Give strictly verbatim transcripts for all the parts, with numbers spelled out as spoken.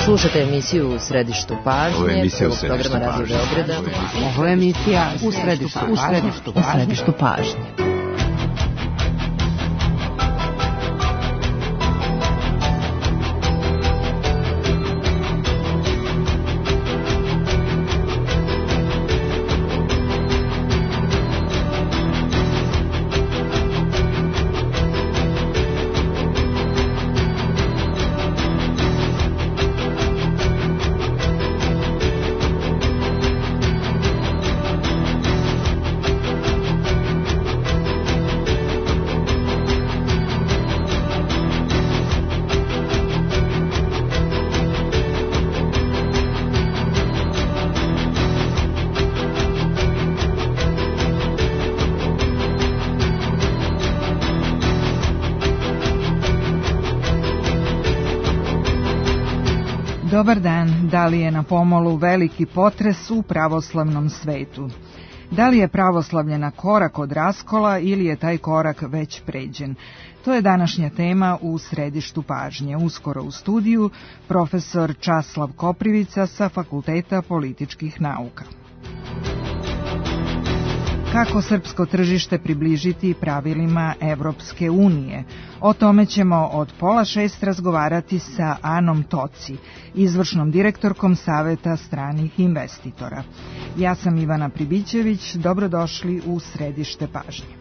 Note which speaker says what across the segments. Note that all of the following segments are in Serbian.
Speaker 1: Slušate emisiju U središtu pažnje, prvog programa Radio Beograda.
Speaker 2: Ovo je emisija U središtu pažnje. U središtu pažnje.
Speaker 3: Dobar dan, da li je na pomolu veliki potres u pravoslavnom svetu? Da li je pravoslavlje na korak od raskola ili je taj korak već pređen? To je današnja tema u središtu pažnje. Uskoro u studiju profesor Časlav Koprivica sa Fakulteta političkih nauka. Kako srpsko tržište približiti pravilima Evropske unije? O tome ćemo od pola šest razgovarati sa Anom Toci, izvršnom direktorkom Saveta stranih investitora. Ja sam Ivana Pribićević, dobrodošli u središte pažnje.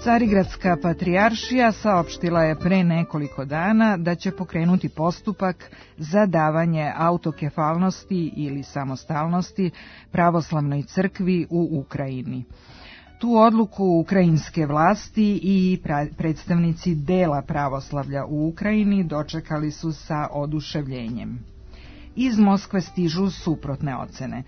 Speaker 3: Carigradska patrijaršija saopštila je pre nekoliko dana da će pokrenuti postupak za davanje autokefalnosti ili samostalnosti pravoslavnoj crkvi u Ukrajini. Tu odluku ukrajinske vlasti i predstavnici dela pravoslavlja u Ukrajini dočekali su sa oduševljenjem. Iz Moskve stižu suprotne ocene.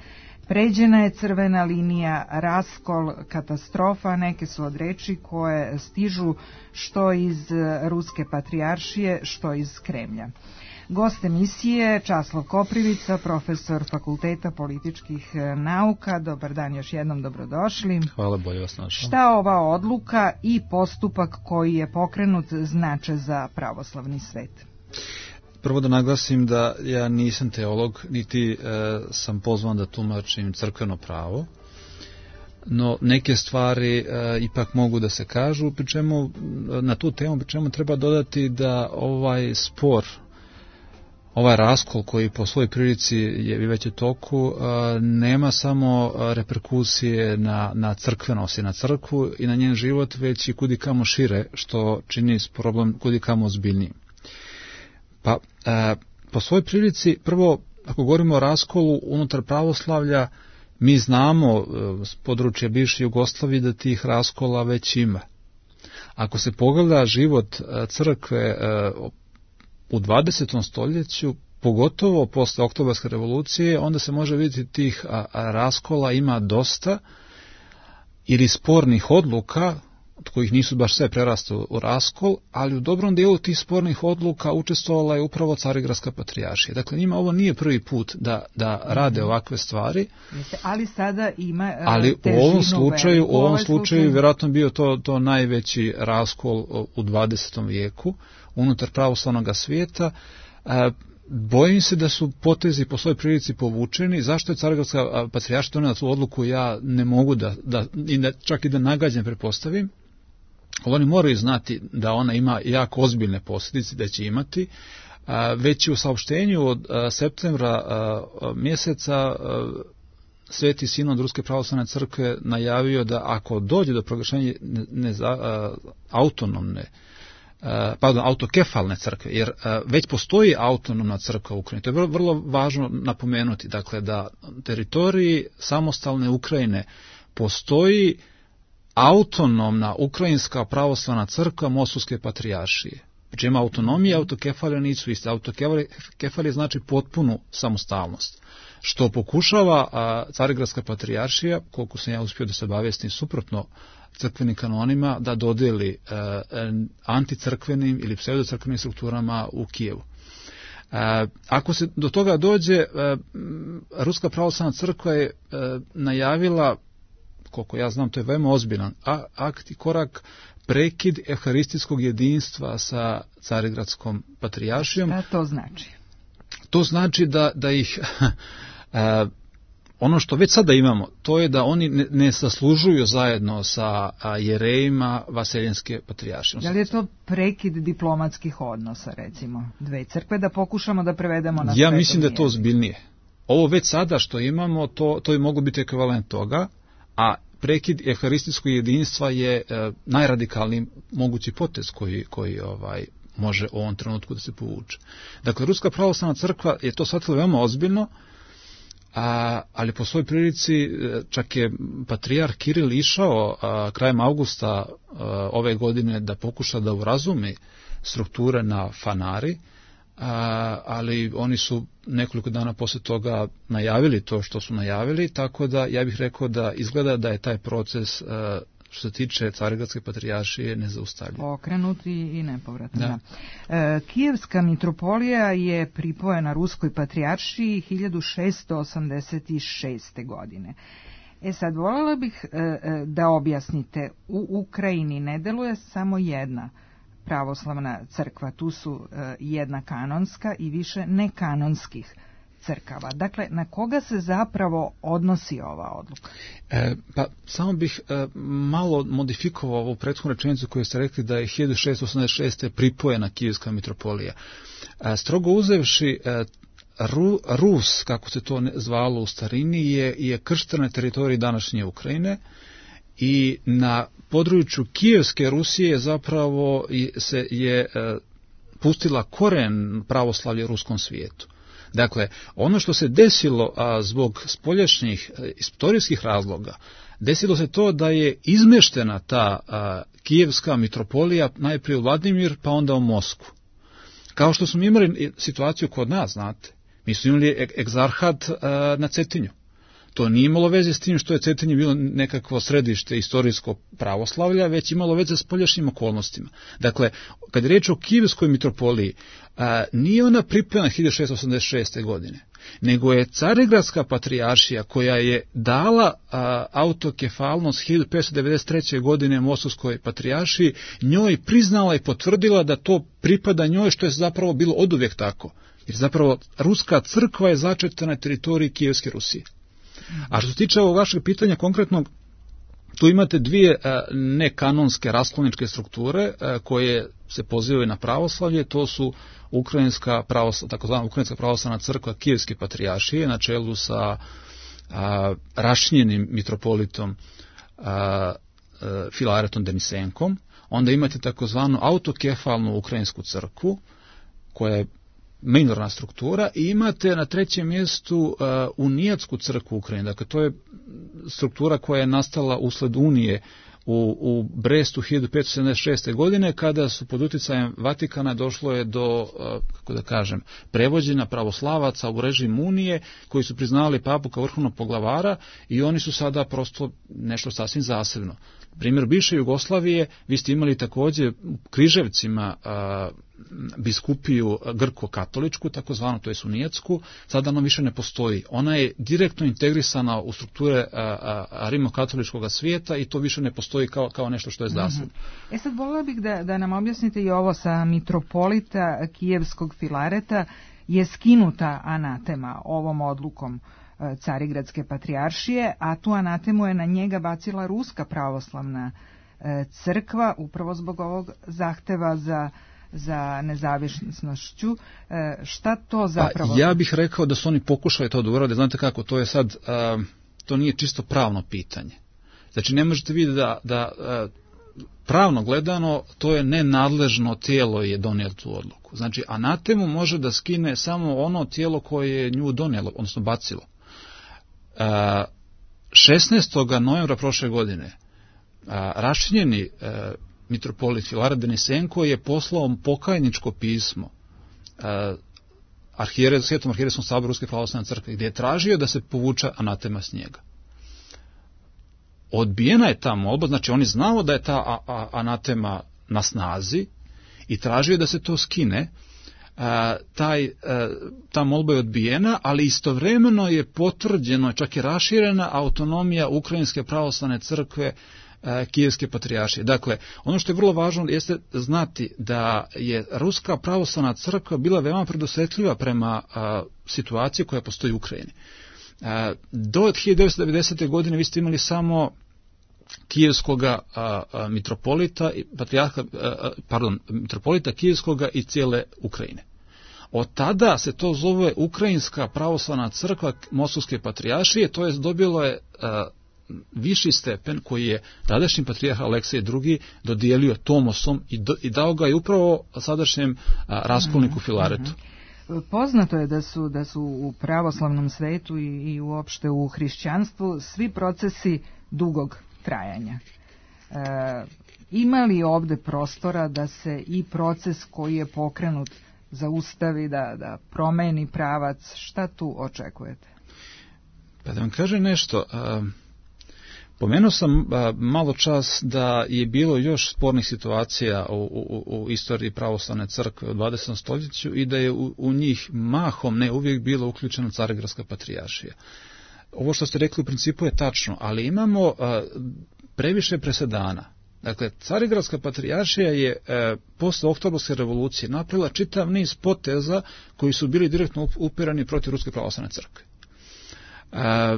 Speaker 3: Pređena je crvena linija, raskol, katastrofa, neke su od reči koje stižu što iz Ruske patrijaršije, što iz Kremlja. Gost emisije Časlav Koprivica, profesor Fakulteta političkih nauka. Dobar dan, još jednom dobrodošli.
Speaker 4: Hvala, bolje vas našao.
Speaker 3: Šta ova odluka i postupak koji je pokrenut znače za pravoslavni svet?
Speaker 4: Prvo da naglasim da ja nisam teolog, niti e, sam pozvan da tumačim crkveno pravo, no neke stvari e, ipak mogu da se kažu, pri čemu na tu temu pri čemu treba dodati da ovaj spor, ovaj raskol koji po svojoj prilici je već u toku, e, nema samo reperkusije na, na crkvenost i na crkvu i na njen život, već i kudikamo šire, što čini problem kudikamo ozbiljnijim. Pa, e, po svojoj prilici, prvo, ako govorimo o raskolu unutar pravoslavlja, mi znamo s područja bivše Jugoslavije da tih raskola već ima. Ako se pogleda život crkve e, u dvadesetom stoljeću, pogotovo posle Oktobarske revolucije, onda se može vidjeti tih a, a raskola ima dosta ili spornih odluka, od kojih nisu baš sve prerastali u raskol, ali u dobrom dijelu tih spornih odluka učestvovala je upravo Carigradska patrijaršija. Dakle, njima ovo nije prvi put da, da rade ovakve stvari.
Speaker 3: Ali sada ima uh,
Speaker 4: ali
Speaker 3: težinu
Speaker 4: u ovom slučaju,
Speaker 3: veliku.
Speaker 4: u ovom slučaju vjerojatno bio to, to najveći raskol u dvadesetom vijeku unutar pravoslavnog svijeta. Uh, Bojim se da su potezi po svojoj prilici povučeni. Zašto je Carigradska patrijaršija donela tu odluku, ja ne mogu da, da, da čak i da nagađam pretpostavim. Oni moraju znati da ona ima jako ozbiljne posljedice, da će imati. Već u saopštenju od septembra mjeseca Sveti Sinod Ruske pravoslavne crkve najavio da ako dođe do proglašenja ne, ne, a, autonomne, a, pardon, autokefalne crkve, jer a, već postoji autonomna crkva u Ukrajini. To je vrlo, vrlo važno napomenuti, dakle da teritoriji samostalne Ukrajine postoji autonomna ukrajinska pravoslavna crkva Moskovske patrijaršije. Znači ima autonomija, autokefalija nisu iste. Autokefalija znači potpunu samostalnost, što pokušava a, Carigradska patrijaršija, koliko sam ja uspio da se obavestim suprotno crkvenim kanonima, da dodeli a, anticrkvenim ili pseudocrkvenim strukturama u Kijevu. A, ako se do toga dođe, a, Ruska pravoslavna crkva je a, najavila, koliko ja znam, to je veoma ozbiljan akt i korak, prekid evharistijskog jedinstva sa Carigradskom patrijaršijom.
Speaker 3: Šta to znači?
Speaker 4: To znači da, da ih, a, ono što već sada imamo, to je da oni ne, ne zaslužuju zajedno sa a, jerejima Vaseljenske patrijaršije.
Speaker 3: Da li je to prekid diplomatskih odnosa, recimo, dve crkve, da pokušamo da prevedemo na
Speaker 4: Ja mislim da je to ozbiljnije. Ovo već sada što imamo, to, to je mogu biti ekvivalent toga, a prekid evharistijskog jedinstva je e, najradikalniji mogući potez koji, koji ovaj, može u ovom trenutku da se povuče. Dakle, Ruska pravoslavna crkva je to shvatila veoma ozbiljno, a, ali po svojoj prilici čak je patrijarh Kiril išao a, krajem avgusta a, ove godine da pokuša da urazumi strukture na Fanari, A, ali oni su nekoliko dana posle toga najavili to što su najavili, tako da ja bih rekao da izgleda da je taj proces a, što se tiče Carigradske patrijaršije nezaustavljiv.
Speaker 3: Okrenuti i nepovratno. Da. E, Kijevska mitropolija je pripojena Ruskoj patrijaršiji hiljadu šessto osamdeset šeste. godine. E sad, voljela bih e, da objasnite, u Ukrajini ne deluje samo jedna pravoslavna crkva, tu su e, jedna kanonska i više nekanonskih crkava. Dakle, na koga se zapravo odnosi ova odluka?
Speaker 4: E, pa, samo bih e, malo modifikovao ovu prethodnu rečenicu koju ste rekli da je hiljadu šessto osamdeset šeste. pripojena Kijevska mitropolija. E, strogo uzevši, e, Ru, Rus, kako se to zvalo u starini, je, je krštena na teritoriji današnje Ukrajine, i na području Kijevske Rusije zapravo se je e, pustila koren pravoslavlja u ruskom svijetu. Dakle, ono što se desilo a, zbog spoljašnjih a, istorijskih razloga, desilo se to da je izmeštena ta a, Kijevska mitropolija najprije u Vladimir, pa onda u Moskvu. Kao što smo imali situaciju kod nas, znate, mi smo imali egzarhat a, na Cetinju. To nije imalo veze s tim što je Cetinje bilo nekakvo središte istorijsko pravoslavlja, već imalo veze s spoljašnjim okolnostima. Dakle, kad je reč o Kijevskoj mitropoliji, a, nije ona pripojena hiljadu šessto osamdeset šeste. godine, nego je Carigradska patrijaršija koja je dala a, autokefalnost hiljadu petsto devedeset treće. godine Moskovskoj patrijaršiji, njoj priznala i potvrdila da to pripada njoj, što je zapravo bilo oduvijek tako. Jer zapravo Ruska crkva je začeta na teritoriji Kijevske Rusije. A što se tiče ovog vašeg pitanja konkretnog, tu imate dvije a, nekanonske raskolničke strukture a, koje se pozivaju na pravoslavlje, to su ukrajinska pravoslavna, takozvana ukrajinska pravoslavna crkva Kijevske patrijaršije na čelu sa a, rašnjenim mitropolitom a, a, Filaretom Denisenkom. Onda imate takozvanu autokefalnu ukrajinsku crkvu koja je minorna struktura, i imate na trećem mjestu uh, Unijatsku crkvu Ukrajine. Dakle, to je struktura koja je nastala usled Unije u, u Brestu hiljadu petsto sedamdeset šeste. godine, kada su pod utjecajem Vatikana došlo je do, uh, kako da kažem, prevođenja pravoslavaca u režim Unije, koji su priznali papu kao vrhovnog poglavara, i oni su sada prosto nešto sasvim zasebno. Primjer bivše Jugoslavije, vi ste imali također u Križevcima a, biskupiju grko-katoličku, takozvanu, to je Unijatsku, sada ona više ne postoji. Ona je direktno integrisana u strukture a, a, rimokatoličkog svijeta i to više ne postoji kao, kao nešto što je zasebno.
Speaker 3: Mm-hmm. E sad voljela bih da, da nam objasnite i ovo sa mitropolita Kijevskog Filareta je skinuta anatema ovom odlukom Carigradske patrijaršije, a tu anatemu je na njega bacila Ruska pravoslavna crkva upravo zbog ovog zahteva za, za nezavisnošću. Šta to zapravo?
Speaker 4: Pa, ja bih rekao da su oni pokušali to da urade. Znate kako, to je sad uh, to nije čisto pravno pitanje. Znači ne možete vidjeti da, da pravno gledano to je nenadležno tijelo je donijelo tu odluku. Znači anatemu može da skine samo ono tijelo koje je nju donijelo, odnosno bacilo. šesnaestog novembra prošle godine raščinjeni mitropolit Filaret Denisenko je poslao pokajničko pismo arhijeres, Svetom arhijerejskom saboru Ruske pravoslavne crkve, gdje je tražio da se povuče anatema s njega. Odbijena je ta molba, znači on je znao da je ta a, a, anatema na snazi i tražio da se to skine. A, taj, a, ta molba je odbijena, ali istovremeno je potvrđeno, čak i raširena autonomija Ukrajinske pravoslavne crkve, a, Kijevske patrijaršije. Dakle, ono što je vrlo važno jeste znati da je Ruska pravoslavna crkva bila veoma predosjetljiva prema a, situaciji koja postoji u Ukrajini. Do hiljadu devetsto devedesete. godine vi ste imali samo kijevskoga a, a, mitropolita, patrijarha, a, pardon, mitropolita kijevskoga i cijele Ukrajine. Od tada se to zove Ukrajinska pravoslavna crkva Moskovske patrijaršije, to je dobilo je a, viši stepen koji je tadašnji patrijarh Aleksej drugi dodijelio Tomosom i, do, i dao ga je upravo sadašnjem a, raskolniku Filaretu.
Speaker 3: Poznato je da su, da su u pravoslavnom svetu i, i uopšte u hrišćanstvu svi procesi dugog trajanja. E, ima li ovde prostora da se i proces koji je pokrenut zaustavi, da, da promeni pravac? Šta tu očekujete?
Speaker 4: Pa da vam kažem nešto... A... Pomenuo sam a, malo čas da je bilo još spornih situacija u, u, u istoriji pravoslavne crkve u dvadesetom stoljeću i da je u, u njih mahom, ne uvijek, bila uključena Carigradska patrijaršija. Ovo što ste rekli u principu je tačno, ali imamo a, previše presedana. Dakle, Carigradska patrijaršija je a, posle Oktobarske revolucije napravila čitav niz poteza koji su bili direktno upirani protiv Ruske pravoslavne crkve. A,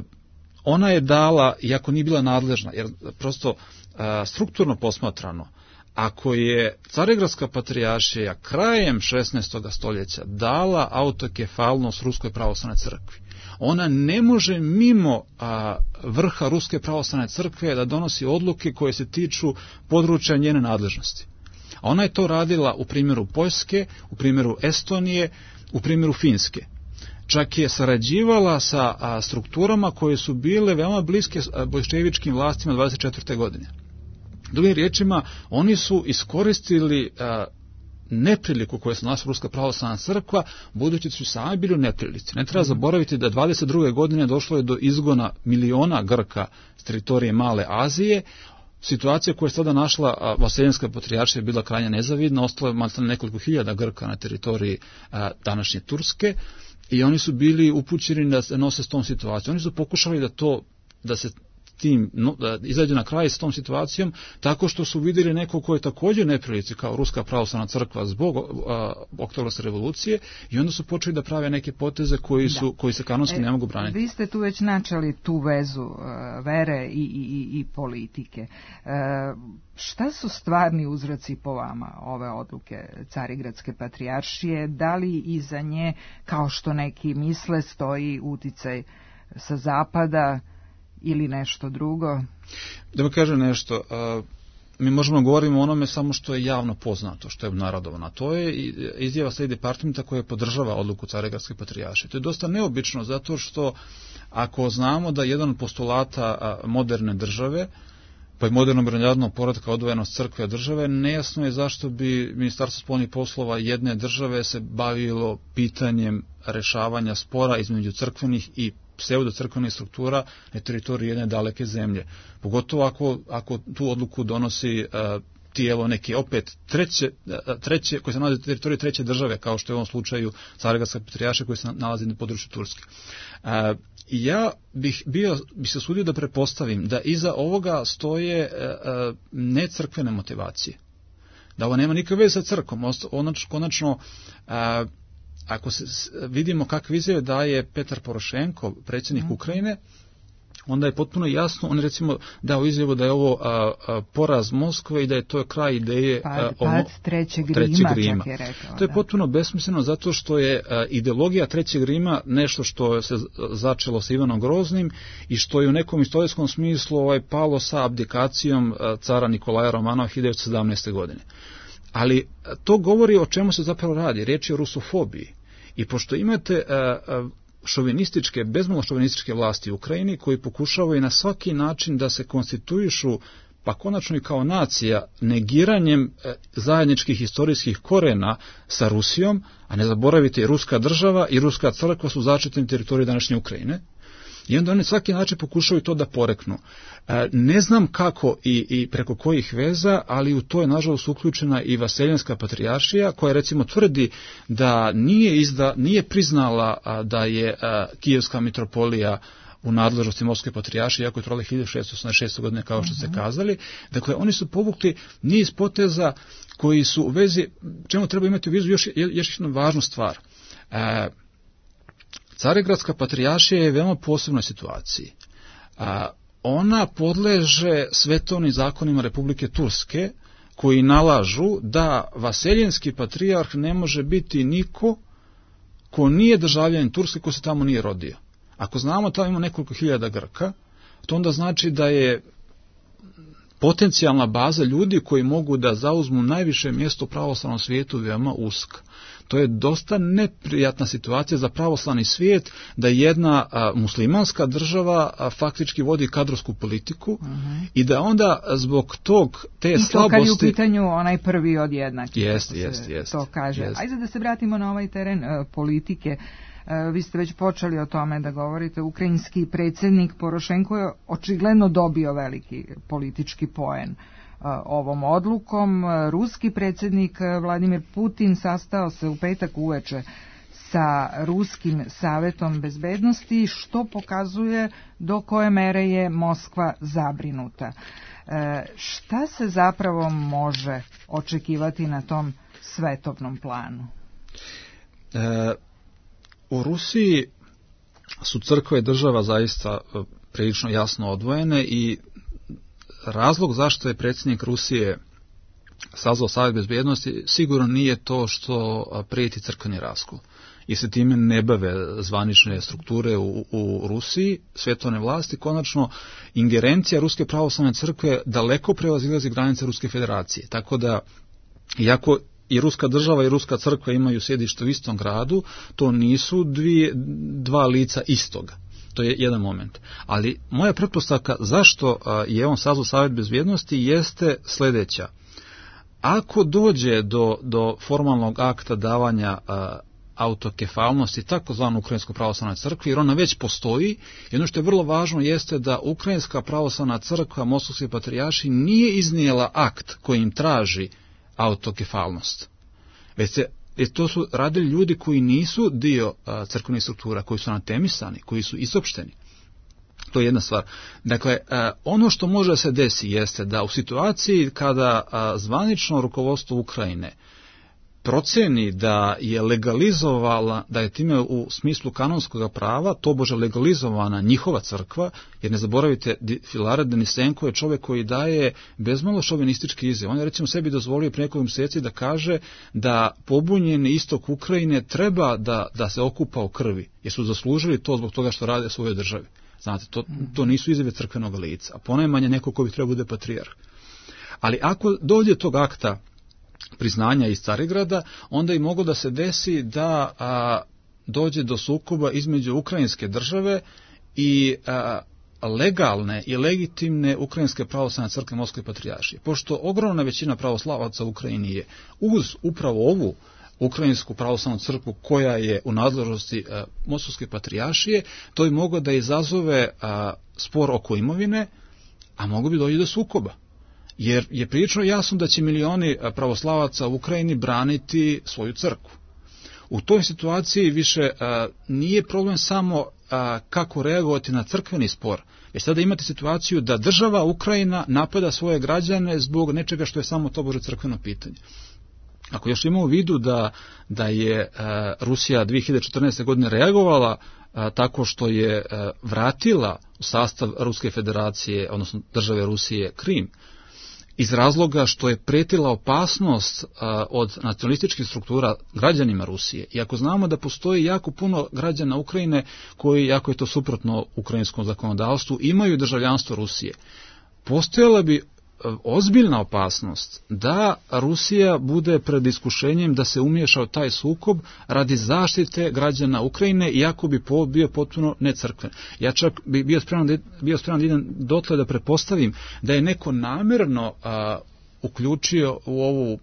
Speaker 4: Ona je dala, iako nije bila nadležna, jer prosto a, strukturno posmatrano, ako je Carigradska patrijaršija krajem šesnaestog stoljeća dala autokefalnost Ruskoj pravoslavnoj crkvi, ona ne može mimo a, vrha Ruske pravoslavne crkve da donosi odluke koje se tiču područja njene nadležnosti. A ona je to radila u primjeru Poljske, u primjeru Estonije, u primjeru Finske. Čak je sarađivala sa a, strukturama koje su bile veoma bliske bolševičkim vlastima dvadeset četvrte. godine. Drugim riječima, oni su iskoristili a, nepriliku koju se našla Ruska pravoslavna crkva, budući su sami bili u neprilici. Ne treba zaboraviti da dvadeset druge. godine došlo je do izgona miliona Grka s teritorije Male Azije. Situacija koja je sada našla Vaseljenska patrijaršija je bila krajnje nezavidna, ostalo je maltene nekoliko hiljada Grka na teritoriji a, današnje Turske. I oni su bili upućeni da se nose s tom situacijom. Oni su pokušali da to, da se tim, no, da izađu na kraj s tom situacijom, tako što su vidjeli neko ko je također neprilici kao Ruska pravoslavna crkva zbog Oktobarske revolucije i onda su počeli da prave neke poteze koji, su, koji se kanonski e, ne mogu braniti.
Speaker 3: Vi ste tu već načeli tu vezu uh, vere i, i, i politike. Uh, šta su stvarni uzroci po vama ove odluke Carigradske patrijaršije? Da li iza nje, kao što neki misle, stoji uticaj sa zapada ili nešto drugo?
Speaker 4: Da vam kažem nešto, a, mi možemo govoriti o onome samo što je javno poznato, što je obnarodovano. To je izjava State Departmenta koja podržava odluku Carigradske patrijaršije. To je dosta neobično zato što ako znamo da jedan od postulata moderne države, pa i modernog međunarodnog poretka odvojenost crkve od države, nejasno je zašto bi Ministarstvo spoljnih poslova jedne države se bavilo pitanjem rešavanja spora između crkvenih i pseudocrkvenih struktura na teritoriji jedne daleke zemlje. Pogotovo ako, ako tu odluku donosi uh, tijelo neke opet treće, uh, treće koje se nalazi na teritoriji treće države, kao što je u ovom slučaju Carigradska patrijaršija koja se nalazi na području Turske. Uh, ja bih bio, bih se sudio da prepostavim da iza ovoga stoje uh, necrkvene motivacije. Da ovo nema nikakve veze sa crkvom. Konačno, uh, ako se vidimo kakve izjave daje Petar Porošenko, predsjednik mm. Ukrajine, onda je potpuno jasno, on je recimo dao izjavu da je ovo a, a, poraz Moskve i da je to kraj ideje
Speaker 3: pa,
Speaker 4: a,
Speaker 3: pad trećeg Rima, trećeg Rima. Čak je rekao,
Speaker 4: to je
Speaker 3: da.
Speaker 4: potpuno besmisleno zato što je a, ideologija trećeg Rima nešto što se začelo sa Ivanom Groznim i što je u nekom istorijskom smislu ovaj, palo sa abdikacijom a, cara Nikolaja Romanova hiljadu sedamnaeste. godine. Ali a, to govori o čemu se zapravo radi, riječ je o rusofobiji. I pošto imate a, a, šovinističke, bezmalo šovinističke vlasti u Ukrajini koji pokušavaju na svaki način da se konstituišu, pa konačno i kao nacija, negiranjem zajedničkih historijskih korena sa Rusijom, a ne zaboravite i ruska država i ruska crkva su začetni teritoriji današnje Ukrajine, i onda oni svaki način pokušaju to da poreknu. Ne znam kako i, i preko kojih veza, ali u to je nažalost uključena i Vaseljenska patrijaršija, koja recimo tvrdi da nije, izda, nije priznala da je Kijevska mitropolija u nadležnosti Moskve patrijaršije, iako je trajala hiljadu šessto osamdeset šeste. godine, kao što ste kazali. Dakle, oni su povukli niz poteza koji su u vezi, čemu treba imati u vizu još, još jednu važnu stvar. E, Carigradska patrijaršija je u veoma posebnoj situaciji. A, ona podleže svetovnim zakonima Republike Turske, koji nalažu da vaseljenski patrijarh ne može biti niko ko nije državljanin Turske, ko se tamo nije rodio. Ako znamo tamo ima nekoliko hiljada Grka, to onda znači da je potencijalna baza ljudi koji mogu da zauzmu najviše mjesto u pravoslavnom svijetu veoma uska. To je dosta neprijatna situacija za pravoslavni svijet da jedna a, muslimanska država a, faktički vodi kadrovsku politiku uh-huh. i da onda zbog tog te
Speaker 3: I
Speaker 4: slabosti...
Speaker 3: I to kad je u pitanju onaj prvi od jednakih.
Speaker 4: Jest, jest, jest.
Speaker 3: To kaže.
Speaker 4: Jest.
Speaker 3: Ajde da se vratimo na ovaj teren uh, politike. Uh, vi ste već počeli o tome da govorite. Ukrajinski predsjednik Porošenko je očigledno dobio veliki politički poen ovom odlukom. Ruski predsjednik Vladimir Putin sastao se u petak uveče sa Ruskim savetom bezbednosti, što pokazuje do koje mere je Moskva zabrinuta. E, šta se zapravo može očekivati na tom svetovnom planu?
Speaker 4: E, u Rusiji su crkva i država zaista prilično jasno odvojene i razlog zašto je predsjednik Rusije sazvao Savet bezbednosti sigurno nije to što prijeti crkveni raskol. I se time ne bave zvanične strukture u, u Rusiji, svetovne vlasti. Konačno, ingerencija Ruske pravoslavne crkve daleko prevazilazi granice Ruske federacije. Tako da, iako i Ruska država i Ruska crkva imaju sjedište u istom gradu, to nisu dvije, dva lica istoga. To je jedan moment. Ali moja pretpostavka zašto je on sazvao Savet bezbednosti jeste sljedeća. Ako dođe do, do formalnog akta davanja a, autokefalnosti takozvano Ukrajinskoj pravoslavnoj crkvi, jer ona već postoji, i ono što je vrlo važno jeste da Ukrajinska pravoslavna crkva Moskovske patrijaršije nije iznijela akt koji im traži autokefalnost. Već se Jer to su radili ljudi koji nisu dio a, crkvenih struktura, koji su anatemisani, koji su isopšteni. To je jedna stvar. Dakle, a, ono što može da se desi jeste da u situaciji kada a, zvanično rukovodstvo Ukrajine proceni da je legalizovala, da je time u smislu kanonskog prava tobože legalizovana njihova crkva, jer ne zaboravite, Filaret Denisenko je čovjek koji daje bezmalo šovinistički izjav. On je recimo sebi dozvolio prije nekoliko mjeseci da kaže da pobunjeni istok Ukrajine treba da, da se okupa u krvi, jer su zaslužili to zbog toga što rade svojoj državi. Znate, to, to nisu izjave crkvenog lica, a ponajmanje neko ko bi trebao bude patrijarh. Ali ako dođe tog akta priznanja iz Carigrada, onda i moglo da se desi da a, dođe do sukoba između ukrajinske države i a, legalne i legitimne Ukrajinske pravoslavne crkve Moskve patrijaršije. Pošto ogromna većina pravoslavaca u Ukrajini je uz upravo ovu Ukrajinsku pravoslavnu crkvu koja je u nadležnosti a, Moskovske patrijaršije, to bi moglo da izazove a, spor oko imovine, a moglo bi doći do sukoba. Jer je prilično jasno da će milioni pravoslavaca u Ukrajini braniti svoju crkvu. U toj situaciji više a, nije problem samo a, kako reagovati na crkveni spor, već sada imate situaciju da država Ukrajina napada svoje građane zbog nečega što je samo tobože crkveno pitanje. Ako još imamo u vidu da, da je uh, Rusija dvije hiljade četrnaeste. godine reagovala uh, tako što je uh, vratila u sastav Ruske federacije, odnosno države Rusije, Krim, iz razloga što je pretila opasnost a, od nacionalističkih struktura građanima Rusije. I ako znamo da postoji jako puno građana Ukrajine koji, jako je to suprotno ukrajinskom zakonodavstvu, imaju državljanstvo Rusije, postojala bi ozbiljna opasnost da Rusija bude pred iskušenjem da se umiješa u taj sukob radi zaštite građana Ukrajine, iako bi bio potpuno necrkven. Ja čak bi bio spreman da, bio spreman da idem dotle da pretpostavim da je neko namjerno a, uključio u ovu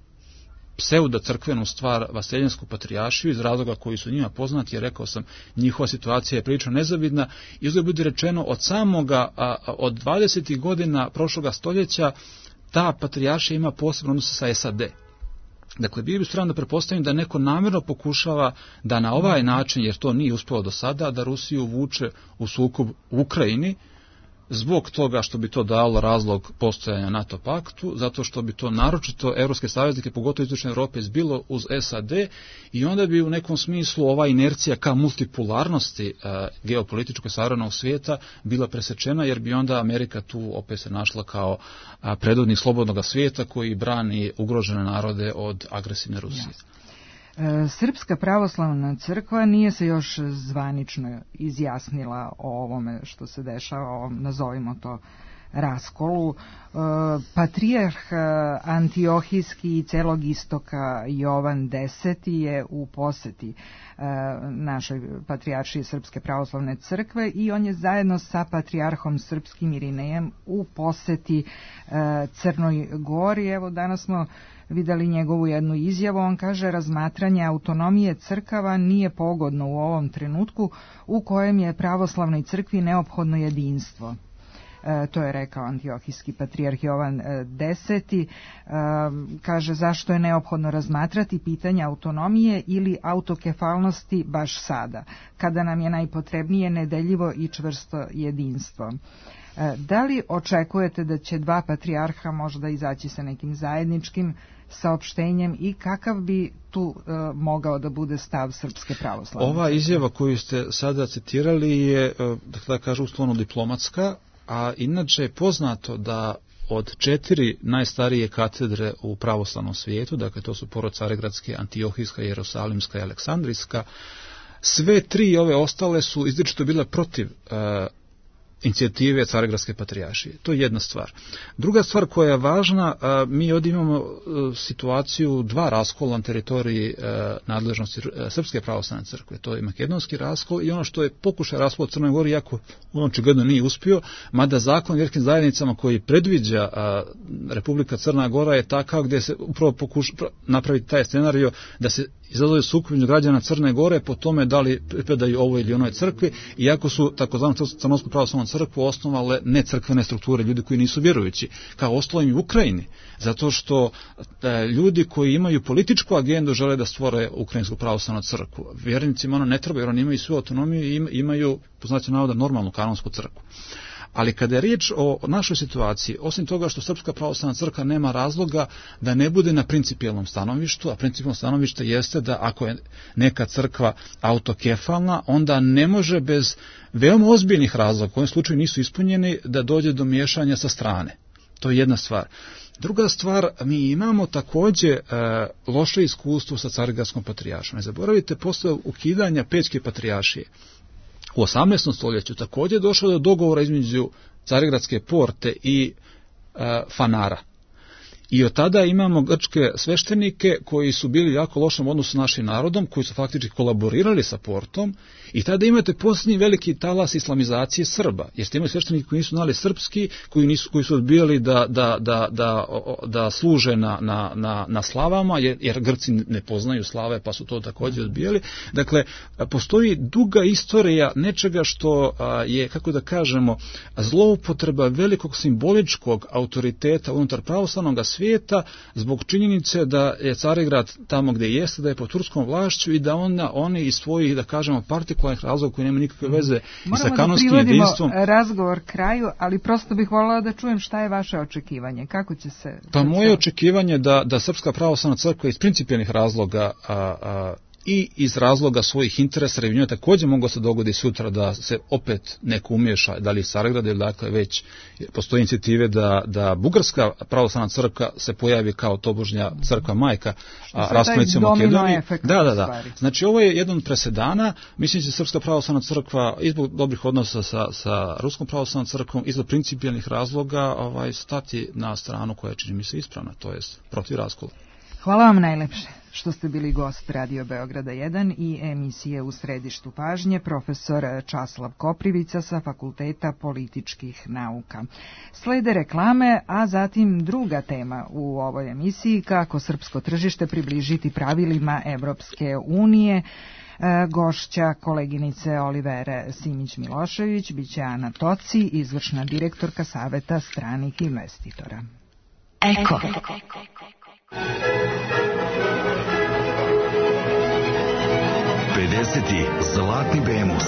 Speaker 4: pseudo-crkvenu stvar Vaseljensku patrijaršiju iz razloga koji su njima poznati, jer rekao sam, njihova situacija je prilično nezavidna i uzgled bude rečeno od samoga, a, od dvadesetih godina prošloga stoljeća ta patrijaršija ima posebno odnose sa S A D. Dakle, bio bi spreman da pretpostavim da neko namjerno pokušava da na ovaj način, jer to nije uspjelo do sada, da Rusiju vuče u sukob u Ukrajini, zbog toga što bi to dalo razlog postojanja NATO paktu, zato što bi to naročito evropske saveznike, pogotovo istočne Europe, zbilo uz S A D i onda bi u nekom smislu ova inercija ka multipolarnosti a, geopolitičkog savremenog svijeta bila presečena, jer bi onda Amerika tu opet se našla kao a, predvodnik slobodnog svijeta koji brani ugrožene narode od agresivne Rusije.
Speaker 3: Yes. Srpska pravoslavna crkva nije se još zvanično izjasnila o ovome što se dešava, o, nazovimo to, raskolu. Patrijarh Antiohijski i celog istoka Jovan Deseti je u poseti našoj patrijaršiji Srpske pravoslavne crkve i on je zajedno sa patrijarhom srpskim Irinejem u poseti Crnoj Gori. Evo, danas smo videli njegovu jednu izjavu. On kaže: razmatranje autonomije crkava nije pogodno u ovom trenutku u kojem je pravoslavnoj crkvi neophodno jedinstvo. E, to je rekao Antiohijski patrijarh Jovan Deseti. E, kaže zašto je neophodno razmatrati pitanje autonomije ili autokefalnosti baš sada, kada nam je najpotrebnije nedeljivo i čvrsto jedinstvo. E, da li očekujete da će dva patrijarha možda izaći sa nekim zajedničkim saopštenjem i kakav bi tu e, mogao da bude stav Srpske pravoslavne?
Speaker 4: Ova izjava koju ste sada citirali je, da kažu, uslovno diplomatska, a inače je poznato da od četiri najstarije katedre u pravoslavnom svijetu, dakle to su prvo Carigradska, Antiohijska, Jerusalimska i Aleksandrijska, sve tri ove ostale su izričito bile protiv e, inicijative Carigradske patrijaršije. To je jedna stvar. Druga stvar koja je važna, mi ovdje imamo situaciju dva raskola na teritoriji nadležnosti Srpske pravoslavne crkve. To je makedonski raskol i ono što je pokušaj raskola u Crnoj Gori, jako on očigledno nije uspio, mada zakon o vjerskim zajednicama koji predviđa Republika Crna Gora je takav gdje se upravo pokuša napraviti taj scenario da se izazove sukob između građana Crne Gore po tome da li pripadaju ovoj ili onoj crkvi, iako su takozvanu Crnogorsku pravoslavnu crkvu osnovale necrkvene strukture, ljudi koji nisu vjerujući, kao ostalo im u Ukrajini, zato što e, ljudi koji imaju političku agendu žele da stvore Ukrajinsku pravoslavnu crkvu. Vjernicima ono ne treba, jer oni imaju svu autonomiju i imaju, po znacima navoda, normalnu kanonsku crkvu. Ali kada je riječ o našoj situaciji, osim toga što Srpska pravoslavna crkva nema razloga da ne bude na principijelnom stanovištu, a principijelno stanovište jeste da ako je neka crkva autokefalna, onda ne može bez veoma ozbiljnih razloga, u ovom slučaju nisu ispunjeni, da dođe do miješanja sa strane. To je jedna stvar. Druga stvar, mi imamo također e, loše iskustvo sa Carigradskom patrijaršijom. Ne zaboravite, posle ukidanja Pećke patrijaršije u osamnaestom stoljeću također došlo do dogovora između Carigradske porte i e, Fanara. I od tada imamo grčke sveštenike koji su bili jako lošom odnosu s našim narodom, koji su faktički kolaborirali sa portom, i tada imate posljednji veliki talas islamizacije Srba, jer ste imali sveštenike koji nisu znali srpski, koji, nisu, koji su odbijali da, da, da, da, da služe na, na, na, na slavama, jer, jer Grci ne poznaju slave, pa su to također odbijali. Dakle, postoji duga istorija nečega što je, kako da kažemo, zloupotreba velikog simboličkog autoriteta unutar pravoslavnog svijeta zbog činjenice da je Carigrad tamo gdje jeste, da je pod turskom vlašću i da ona, oni iz svojih, da kažemo, partikularnih razloga koji nema nikakve veze i sa kanonskim jedinstvom.
Speaker 3: Moramo da privodimo razgovor kraju, ali prosto bih voljela da čujem šta je vaše očekivanje. Kako će se...
Speaker 4: Pa moje očekivanje da, da Srpska pravoslavna crkva iz principijelnih razloga a, a, i iz razloga svojih interesa, jer njoj također moglo se dogodi sutra da se opet neko umješa, da li iz Carigrada ili dakle već postoje inicijative da, da Bugarska pravoslavna crkva se pojavi kao tobožnja crkva majka rasponice Makedonije. Da, da, da. Znači ovo je jedan od presedana, mislim da Srpska pravoslavna crkva izbog dobrih odnosa sa, sa Ruskom pravoslavnom crkvom, izbog principijelnih razloga ovaj, stati na stranu koja čini mi se ispravna, to jest protiv raskola.
Speaker 3: Hvala vam najlepše što ste bili gost Radio Beograda jedan i emisije U središtu pažnje, profesor Časlav Koprivica sa Fakulteta političkih nauka. Slede reklame, a zatim druga tema u ovoj emisiji, kako srpsko tržište približiti pravilima Evropske unije. Gošća koleginice Olivere Simić-Milošević biće Ana Toci, izvršna direktorka Saveta stranih investitora.
Speaker 2: Eko.
Speaker 5: pedeseti Zlatni Bemus.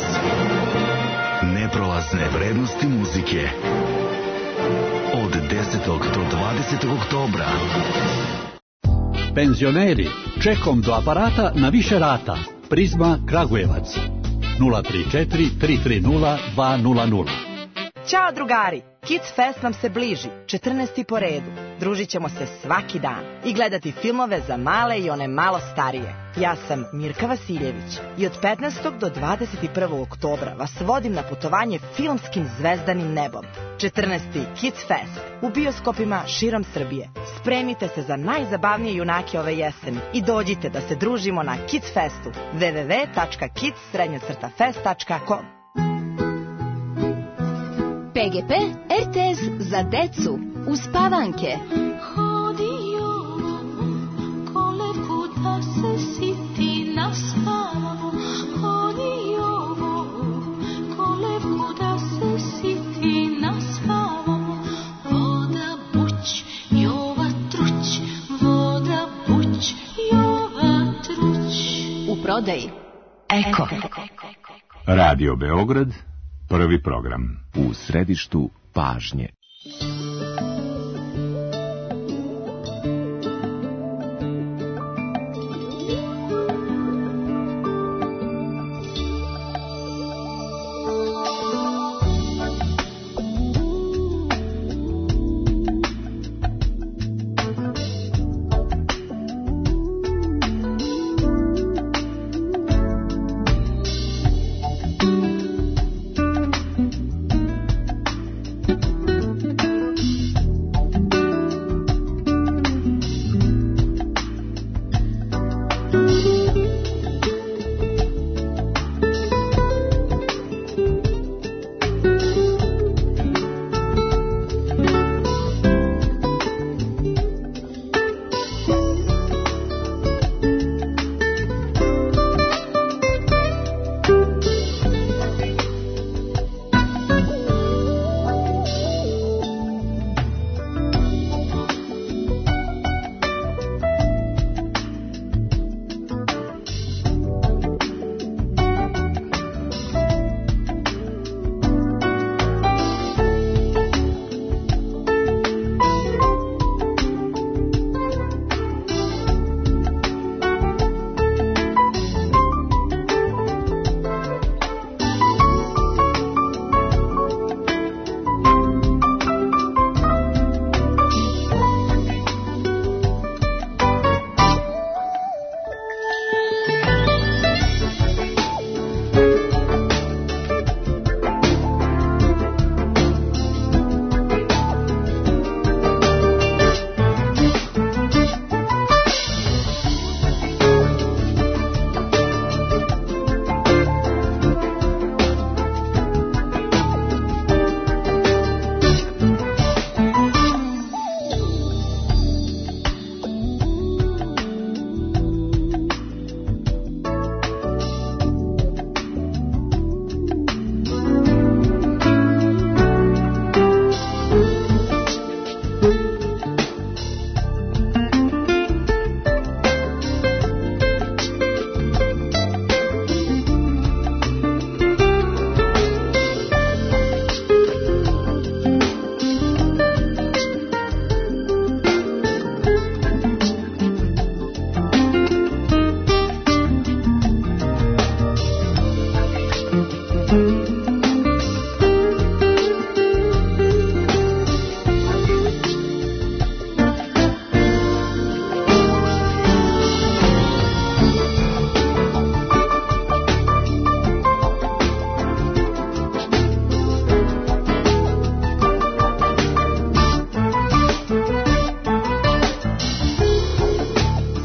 Speaker 5: Neprolazne vrednosti muzike. Od desetog do dvadesetog oktobra.
Speaker 6: Penzioneri, čekom do aparata na više rata. Prizma Kragujevac. nula tri četiri tri tri nula dva nula nula.
Speaker 7: Ćao drugari, Kids Fest nam se bliži, četrnaesti po redu. Družit ćemo se svaki dan i gledati filmove za male i one malo starije. Ja sam Mirka Vasiljević i od petnaestog do dvadeset prvog oktobra vas vodim na putovanje filmskim zvezdanim nebom. četrnaesti Kids Fest u bioskopima širom Srbije. Spremite se za najzabavnije junake ove jeseni i dođite da se družimo na Kids Festu w w w tačka kids fest tačka com.
Speaker 8: P G P R T S za decu uspavanke.
Speaker 9: Hodio kolevku da se siti naspavamo. Hodio kolevku da se siti naspavamo. Voda buć, jova truć, voda buć, jova truć.
Speaker 8: U prodaji
Speaker 2: Eko.
Speaker 10: Radio Beograd, prvi program.
Speaker 5: U središtu pažnje.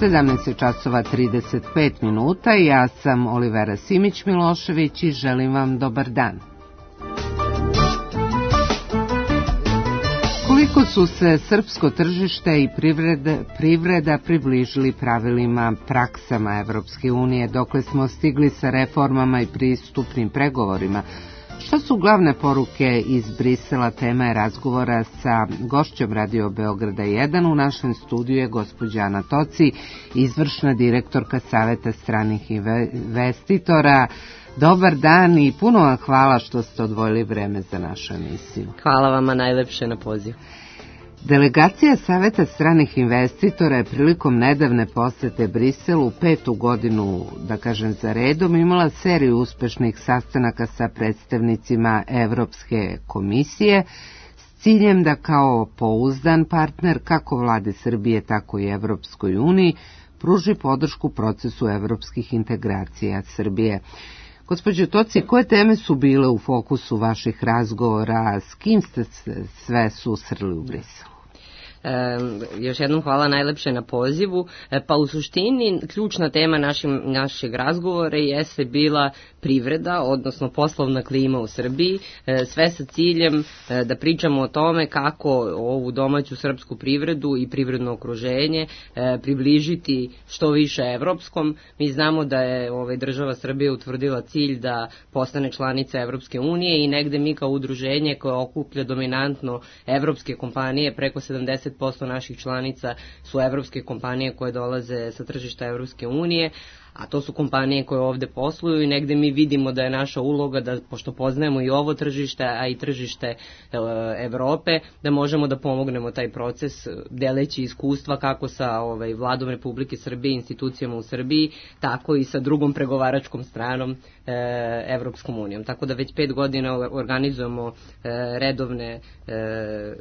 Speaker 11: sedamnaest časova trideset pet minuta, ja sam Olivera Simić-Milošević i želim vam dobar dan. Koliko su se srpsko tržište i privreda, privreda približili pravilima, praksama Evropske unije, dokle smo stigli sa reformama i pristupnim pregovorima? Šta su glavne poruke iz Brisela? Tema je razgovora sa gošćom Radio Beograda jedan. U našem studiju je gospođa Ana Toci, izvršna direktorka Saveta stranih investitora. Dobar dan i puno vam hvala što ste odvojili vreme za našu emisiju.
Speaker 1: Hvala vama najlepše na poziv.
Speaker 11: Delegacija Saveta stranih investitora je prilikom nedavne posete Briselu petu godinu, da kažem za redom, imala seriju uspešnih sastanaka sa predstavnicima Evropske komisije s ciljem da kao pouzdan partner kako vlade Srbije, tako i Evropskoj uniji pruži podršku procesu evropskih integracija Srbije. Gospođo Toci, koje teme su bile u fokusu vaših razgovora, s kim ste sve susreli u Briselu?
Speaker 1: E, još jednom hvala najlepše na pozivu. E, pa u suštini ključna tema našim, našeg razgovora jeste bila privreda, odnosno poslovna klima u Srbiji, e, sve sa ciljem e, da pričamo o tome kako ovu domaću srpsku privredu i privredno okruženje e, približiti što više evropskom. Mi znamo da je ovaj, država Srbije utvrdila cilj da postane članica Evropske unije i negde mi kao udruženje koje okuplja dominantno evropske kompanije, preko sedamdeset posto naših članica su evropske kompanije koje dolaze sa tržišta Evropske unije, a to su kompanije koje ovde posluju i negde mi vidimo da je naša uloga da, pošto poznajemo i ovo tržište, a i tržište e, Evrope, da možemo da pomognemo taj proces deleći iskustva kako sa ovaj, vladom Republike Srbije, institucijama u Srbiji, tako i sa drugom pregovaračkom stranom e, Evropskom unijom. Tako da već pet godina organizujemo e, redovne e,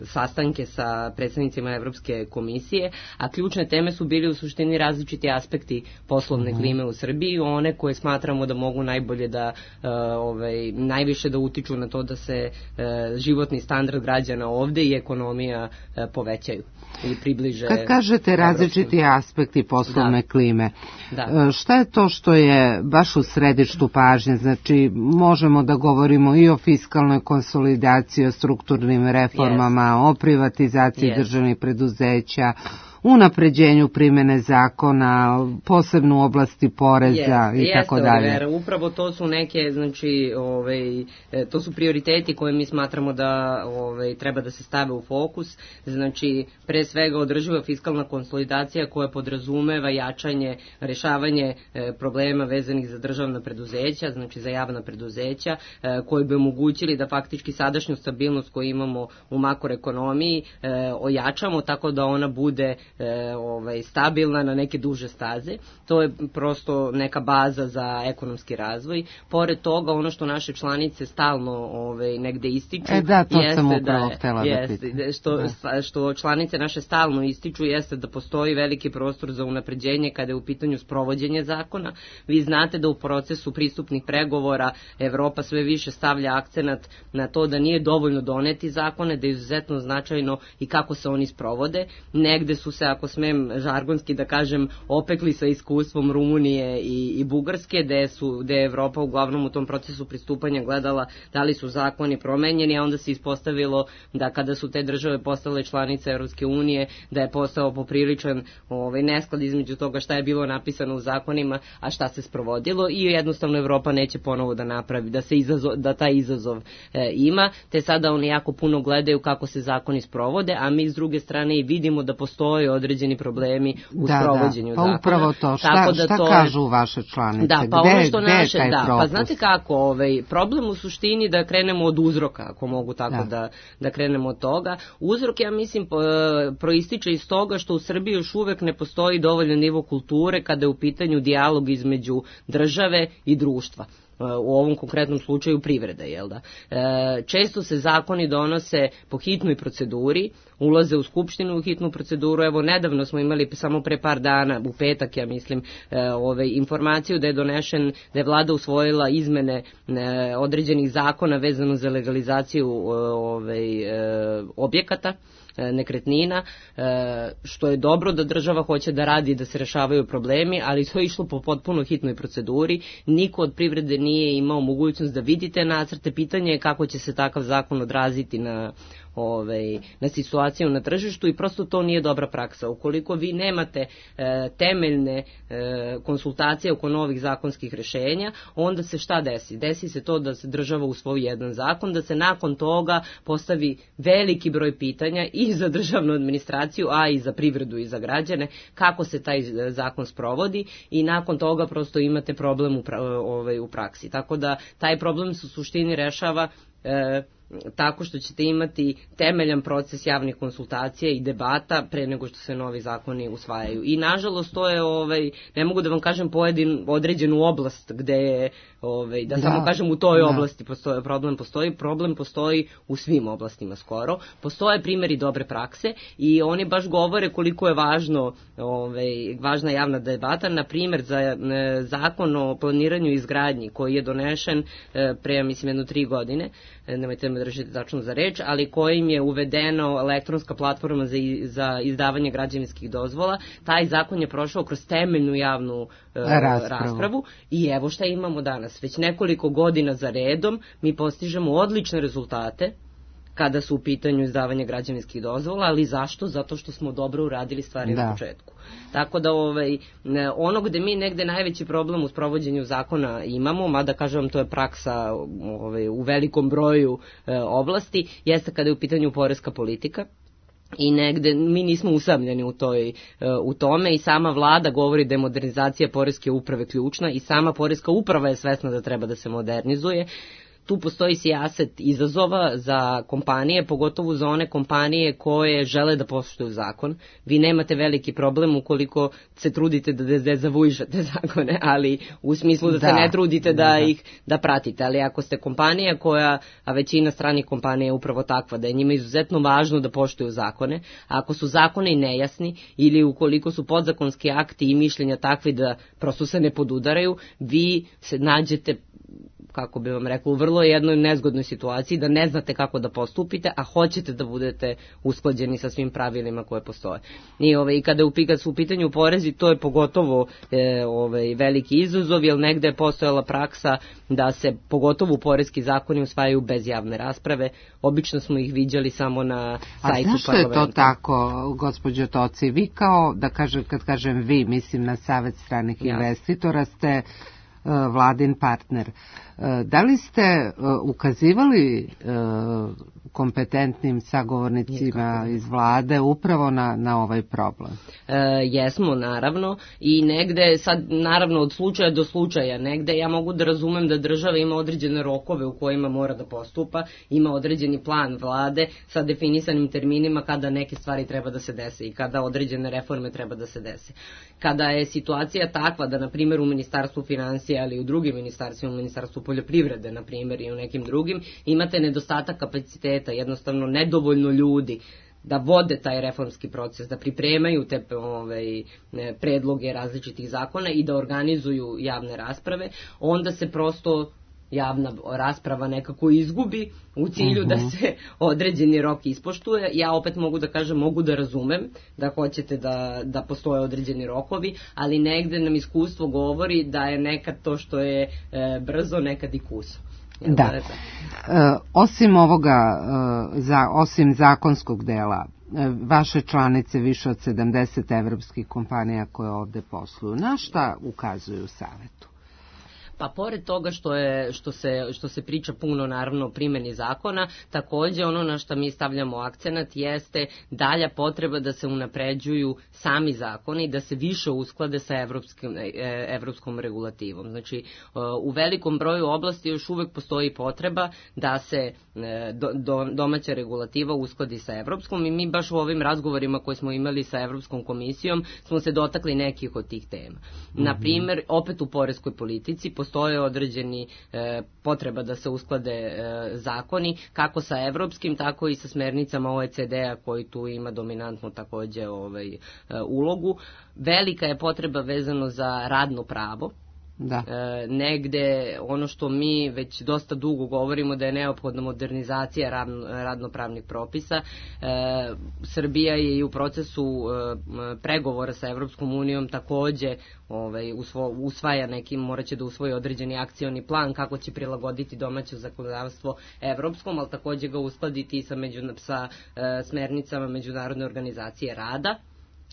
Speaker 1: sastanke sa predstavnicima Evropske komisije, a ključne teme su bili u suštini različiti aspekti poslovne klime u Srbiji, one koje smatramo da mogu najbolje da uh, ovaj, najviše da utiču na to da se uh, životni standard građana ovde i ekonomija uh, povećaju i približe.
Speaker 11: Kad kažete različiti evropskom aspekti poslovne da. klime, da. šta je to što je baš u središtu pažnje? Znači, možemo da govorimo i o fiskalnoj konsolidaciji, o strukturnim reformama, yes. o privatizaciji yes. državnih preduzeća, unapređenju primene zakona, posebno u oblasti poreza yes, i tako dalje.
Speaker 1: Jeste, upravo to su neke, znači, ovaj, to su prioriteti koje mi smatramo da ovaj, treba da se stave u fokus. Znači, pre svega održiva fiskalna konsolidacija koja podrazumeva jačanje, rešavanje e, problema vezanih za državna preduzeća, znači za javna preduzeća, e, koji bi omogućili da faktički sadašnju stabilnost koju imamo u makroekonomiji e, ojačamo tako da ona bude E, ovaj, stabilna na neke duže staze. To je prosto neka baza za ekonomski razvoj. Pored toga, ono što naše članice stalno ovaj, negde ističu,
Speaker 11: e, da, to
Speaker 1: jeste
Speaker 11: sam
Speaker 1: da,
Speaker 11: da
Speaker 1: jeste, što, da. što članice naše stalno ističu jeste da postoji veliki prostor za unapređenje kada je u pitanju sprovođenje zakona. Vi znate da u procesu pristupnih pregovora Evropa sve više stavlja akcenat na to da nije dovoljno doneti zakone, da je izuzetno značajno i kako se oni sprovode. Negde su se, ako smem žargonski da kažem, opekli sa iskustvom Rumunije i, i Bugarske, gde, su, gde je Evropa uglavnom u tom procesu pristupanja gledala da li su zakoni promenjeni, a onda se ispostavilo da kada su te države postale članice Evropske unije, da je postao popriličan ovaj, nesklad između toga šta je bilo napisano u zakonima, a šta se sprovodilo i jednostavno Evropa neće ponovo da napravi, da, se izazov, da taj izazov e, ima, te sada oni jako puno gledaju kako se zakoni sprovode, a mi s druge strane i vidimo da postoje određeni problemi u da, sprovođenju
Speaker 11: da. Pa
Speaker 1: zakona.
Speaker 11: Upravo to. Šta,
Speaker 1: da
Speaker 11: šta
Speaker 1: to
Speaker 11: kažu vaše članice?
Speaker 1: Da, pa
Speaker 11: gde,
Speaker 1: ono što
Speaker 11: gde
Speaker 1: naše,
Speaker 11: je taj
Speaker 1: da,
Speaker 11: propust?
Speaker 1: Pa znate kako, ovaj, problem u suštini da krenemo od uzroka, ako mogu tako da, da, da krenemo od toga. Uzrok, ja mislim, proističe iz toga što u Srbiji još uvek ne postoji dovoljan nivo kulture kada je u pitanju dijalog između države i društva. U ovom konkretnom slučaju privrede, jel da? E, često se zakoni donose po hitnoj proceduri, ulaze u skupštinu u hitnu proceduru. Evo, nedavno smo imali samo pre par dana, u petak, ja mislim, e, ove, informaciju da je donešen, da je vlada usvojila izmene e, određenih zakona vezano za legalizaciju ove, e, objekata, nekretnina, što je dobro da država hoće da radi, da se rešavaju problemi, ali to je išlo po potpuno hitnoj proceduri. Niko od privrede nije imao mogućnost da vidi te nacrte. Pitanje je kako će se takav zakon odraziti na Ovaj, na situaciju na tržištu i prosto to nije dobra praksa. Ukoliko vi nemate e, temeljne e, konsultacije oko novih zakonskih rešenja, onda se šta desi? Desi se to da se država usvoji jedan zakon, da se nakon toga postavi veliki broj pitanja i za državnu administraciju, a i za privredu i za građane, kako se taj zakon sprovodi i nakon toga prosto imate problem u, pra, ovaj, u praksi. Tako da taj problem se u suštini rešava e, tako što ćete imati temeljan proces javnih konsultacija i debata pre nego što se novi zakoni usvajaju. I nažalost to je, ovaj, ne mogu da vam kažem pojedin određenu oblast gde je, ovaj, da, da samo kažem u toj da. oblasti postoji problem, postoji problem postoji u svim oblastima skoro. Postoje primjeri dobre prakse i oni baš govore koliko je važno, ovaj, važna javna debata. Na primjer za e, zakon o planiranju i izgradnji koji je donešen e, pre, mislim, jedno tri godine, e, nemojte me držite tačno za reč, ali kojim je uvedeno elektronska platforma za, za izdavanje građevinskih dozvola. Taj zakon je prošao kroz temeljnu javnu e, raspravu. raspravu i evo šta imamo danas. Već nekoliko godina za redom mi postižemo odlične rezultate kada su u pitanju izdavanje građevinskih dozvola, ali zašto? Zato što smo dobro uradili stvari da. na početku. Tako da ovaj, ono gde mi negde najveći problem u sprovođenju zakona imamo, mada kažem vam to je praksa ovaj, u velikom broju e, oblasti, jeste kada je u pitanju poreska politika. I negde mi nismo usamljeni u, toj, u tome i sama vlada govori da je modernizacija poreske uprave ključna i sama poreska uprava je svesna da treba da se modernizuje. Tu postoji sijaset izazova za kompanije, pogotovo za one kompanije koje žele da poštuju zakon. Vi nemate veliki problem ukoliko se trudite da dezavuišete zakone, ali u smislu da, da se ne trudite da, da ih da pratite. Ali ako ste kompanija koja, a većina stranih kompanija je upravo takva, da je njima izuzetno važno da poštuju zakone, a ako su zakoni nejasni ili ukoliko su podzakonski akti i mišljenja takvi da prosto se ne podudaraju, vi se nađete, kako bi vam rekao, u vrlo jednoj nezgodnoj situaciji da ne znate kako da postupite, a hoćete da budete usklađeni sa svim pravilima koje postoje. I ovaj, kada upika su u pitanju porezi, to je pogotovo e, ovaj, veliki izazov, jer negde je postojala praksa da se pogotovo poreski zakoni usvajaju bez javne rasprave. Obično smo ih viđali samo na sajtu parlamenta.
Speaker 11: A zašto je to tako, gospođo Toci? Vi kao, da kažem, kad kažem vi, mislim na Savet stranih ja. investitora, ste vladin partner. Da li ste ukazivali kompetentnim sagovornicima iz vlade upravo na, na ovaj problem?
Speaker 1: E, jesmo, naravno, i negde, sad, naravno, od slučaja do slučaja, negde ja mogu da razumem da država ima određene rokove u kojima mora da postupa, ima određeni plan vlade sa definisanim terminima kada neke stvari treba da se dese i kada određene reforme treba da se dese. Kada je situacija takva da, na primjer, u Ministarstvu finansija, ali i u drugim ministarstvima, u Ministarstvu poljoprivrede, na primjer, i u nekim drugim, imate nedostatak kapaciteta, jednostavno nedovoljno ljudi da vode taj reformski proces, da pripremaju te ovaj, predloge različitih zakona i da organizuju javne rasprave, onda se prosto javna rasprava nekako izgubi u cilju uh-huh. da se određeni rok ispoštuje. Ja opet mogu da kažem, mogu da razumem da hoćete da, da postoje određeni rokovi, ali negde nam iskustvo govori da je nekad to što je e, brzo, nekad i kuso.
Speaker 11: Da. da e, osim ovoga, e, za, osim zakonskog dela, e, vaše članice, više od sedamdeset evropskih kompanija koje ovde posluju, na šta ukazuju Savetu?
Speaker 1: Pa pored toga što je što se što se priča puno naravno o primjeni zakona, takođe ono na što mi stavljamo akcenat jeste dalja potreba da se unapređuju sami zakoni, da se više usklade sa evropskim evropskom regulativom. Znači u velikom broju oblasti još uvek postoji potreba da se do, do, domaća regulativa uskladi sa evropskom i mi baš u ovim razgovorima koje smo imali sa Evropskom komisijom smo se dotakli nekih od tih tema. Mm-hmm. Na primer, opet u poreskoj politici postoje određeni e, potreba da se usklade e, zakoni, kako sa evropskim, tako i sa smernicama O E C D-a koji tu ima dominantnu takođe ovaj, e, ulogu. Velika je potreba vezano za radno pravo.
Speaker 11: Da.
Speaker 1: E, negde ono što mi već dosta dugo govorimo da je neophodna modernizacija radno, radnopravnih propisa. E, Srbija je i u procesu e, pregovora sa Evropskom unijom takođe ovaj, usvo, usvaja neki, morat će da usvoji određeni akcioni plan kako će prilagoditi domaće zakonodavstvo evropskom, ali takođe ga uskladiti sa, među, sa e, smernicama Međunarodne organizacije rada,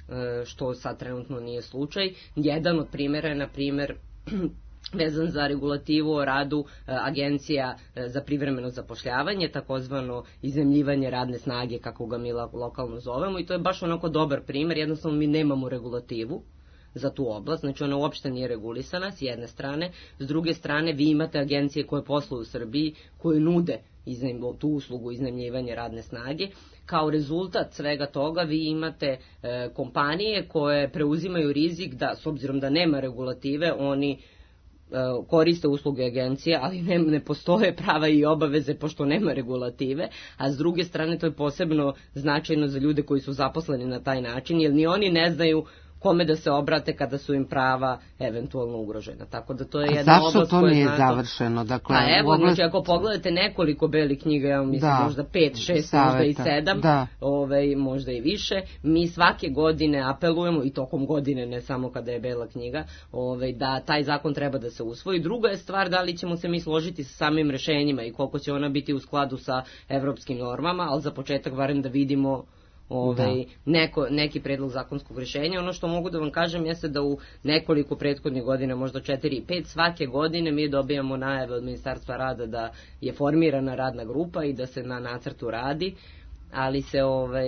Speaker 1: e, što sad trenutno nije slučaj. Jedan od primjera je, na primjer, vezan za regulativu o radu agencija za privremeno zapošljavanje, takozvano iznajmljivanje radne snage, kako ga mi lokalno zovemo, i to je baš onako dobar primjer. Jednostavno mi nemamo regulativu za tu oblast, znači ona uopšte nije regulisana s jedne strane, s druge strane vi imate agencije koje posluju u Srbiji, koje nude iznajm, tu uslugu iznajmljivanja radne snage. Kao rezultat svega toga vi imate e, kompanije koje preuzimaju rizik da, s obzirom da nema regulative, oni koriste usluge agencije, ali ne, ne postoje prava i obaveze pošto nema regulative, a s druge strane to je posebno značajno za ljude koji su zaposleni na taj način, jer ni oni ne znaju kome da se obrate kada su im prava eventualno ugrožena. Tako da to je jedna oblast koja...
Speaker 11: A zašto to nije završeno? Dakle,
Speaker 1: a evo,
Speaker 11: oblast...
Speaker 1: znači, ako pogledate nekoliko belih knjiga, ja mislim da, možda pet, šest,
Speaker 11: saveta,
Speaker 1: možda i sedam,
Speaker 11: da.
Speaker 1: ovaj, možda i više, mi svake godine apelujemo, i tokom godine, ne samo kada je bela knjiga, ovaj, da taj zakon treba da se usvoji. Druga je stvar da li ćemo se mi složiti sa samim rešenjima i koliko će ona biti u skladu sa evropskim normama, ali za početak barem da vidimo Ovaj, neko, neki predlog zakonskog rješenja. Ono što mogu da vam kažem jeste da u nekoliko prethodnih godina, možda četiri i pet, svake godine mi dobijamo najave od Ministarstva rada da je formirana radna grupa i da se na nacrtu radi, ali se ovaj,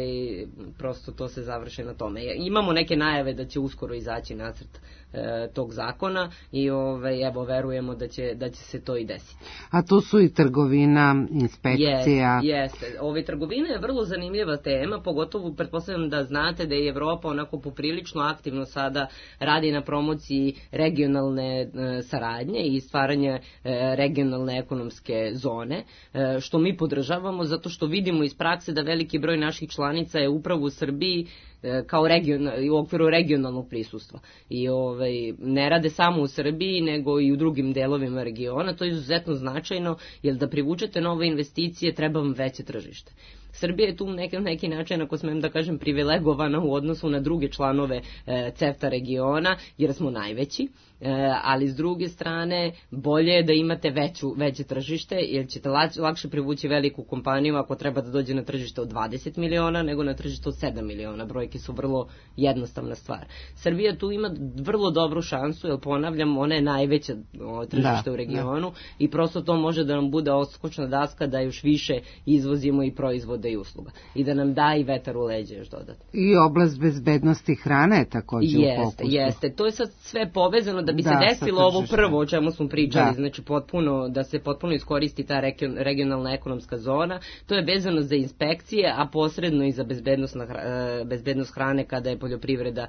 Speaker 1: prosto to se završi na tome. Imamo neke najave da će uskoro izaći nacrt e, tog zakona i ovaj, evo verujemo da će, da će se to i desiti.
Speaker 11: A tu su i trgovina, inspekcija.
Speaker 1: Jeste, jeste. Ove, trgovina je vrlo zanimljiva tema, pogotovo pretpostavljam da znate da je Evropa onako poprilično aktivno sada radi na promociji regionalne e, saradnje i stvaranje e, regionalne ekonomske zone, e, što mi podržavamo zato što vidimo iz prakse da veliki broj naših članica je upravo u Srbiji kao region, u okviru regionalnog prisustva. I ovaj, ne rade samo u Srbiji, nego i u drugim delovima regiona. To je izuzetno značajno, jer da privučete nove investicije treba vam veće tržište. Srbija je tu na neki, neki način, ako smem da kažem, privilegovana u odnosu na druge članove e, CEFTA regiona, jer smo najveći, e, ali s druge strane bolje je da imate veću, veće tržište, jer ćete lak, lakše privući veliku kompaniju ako treba da dođe na tržište od dvadeset miliona, nego na tržište od sedam miliona. Brojke su vrlo jednostavna stvar. Srbija tu ima vrlo dobru šansu, jer ponavljam, ona je najveća o, tržište da, u regionu da. I prosto to može da nam bude odskočna daska da još više izvozimo i proizvode i usluga. I da nam da i vetar u leđe još dodatno.
Speaker 11: I oblast bezbednosti hrane je također
Speaker 1: jeste,
Speaker 11: u fokusu.
Speaker 1: Jeste, to je sad sve povezano da bi da, se desilo ovo prvo o čemu smo pričali, da. Znači potpuno, da se potpuno iskoristi ta regionalna ekonomska zona. To je vezano za inspekcije, a posredno i za bezbednost, na, bezbednost hrane kada je poljoprivreda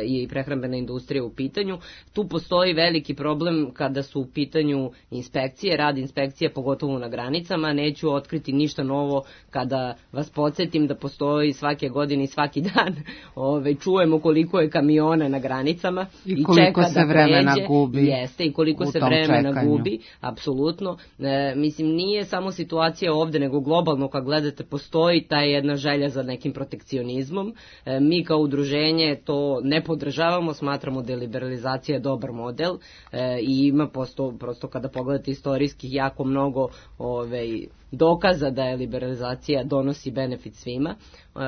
Speaker 1: i prehrambena industrija u pitanju. Tu postoji veliki problem kada su u pitanju inspekcije, rad inspekcije, pogotovo na granicama. Neću otkriti ništa novo kada vas podsjetim da postoji svake godine i svaki dan ove, čujemo koliko je kamiona na granicama
Speaker 11: i,
Speaker 1: i
Speaker 11: koliko
Speaker 1: čeka
Speaker 11: se
Speaker 1: da
Speaker 11: vremena
Speaker 1: pređe,
Speaker 11: gubi
Speaker 1: jeste, i koliko se vremena čekanju. gubi, apsolutno. E, mislim, nije samo situacija ovde, nego globalno kad gledate postoji ta jedna želja za nekim protekcionizmom. E, mi kao udruženje to ne podržavamo, smatramo da je liberalizacija dobar model e, i ima posto, prosto kada pogledate istorijski jako mnogo ove, dokaza da je liberalizacija donosi benefit svima. E,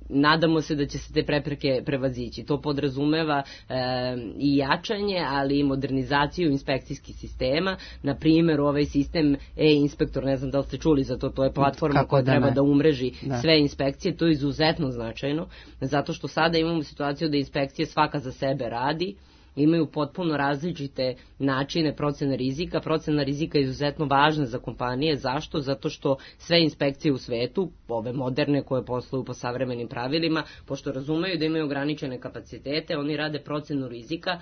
Speaker 1: nadamo se da će se te prepreke prevazići. To podrazumeva e, i jačanje, ali i modernizaciju inspekcijskih sistema. Na primjer, ovaj sistem e-inspektor, ne znam da li ste čuli za to, to je platforma
Speaker 11: Kako
Speaker 1: koja
Speaker 11: da
Speaker 1: treba
Speaker 11: ne.
Speaker 1: da umreži
Speaker 11: da.
Speaker 1: sve inspekcije. To je izuzetno značajno, zato što sada imamo situaciju da inspekcije svaka za sebe radi, imaju potpuno različite načine procene rizika. Procena rizika je izuzetno važna za kompanije. Zašto? Zato što sve inspekcije u svetu, ove moderne koje posluju po savremenim pravilima, pošto razumeju da imaju ograničene kapacitete, oni rade procenu rizika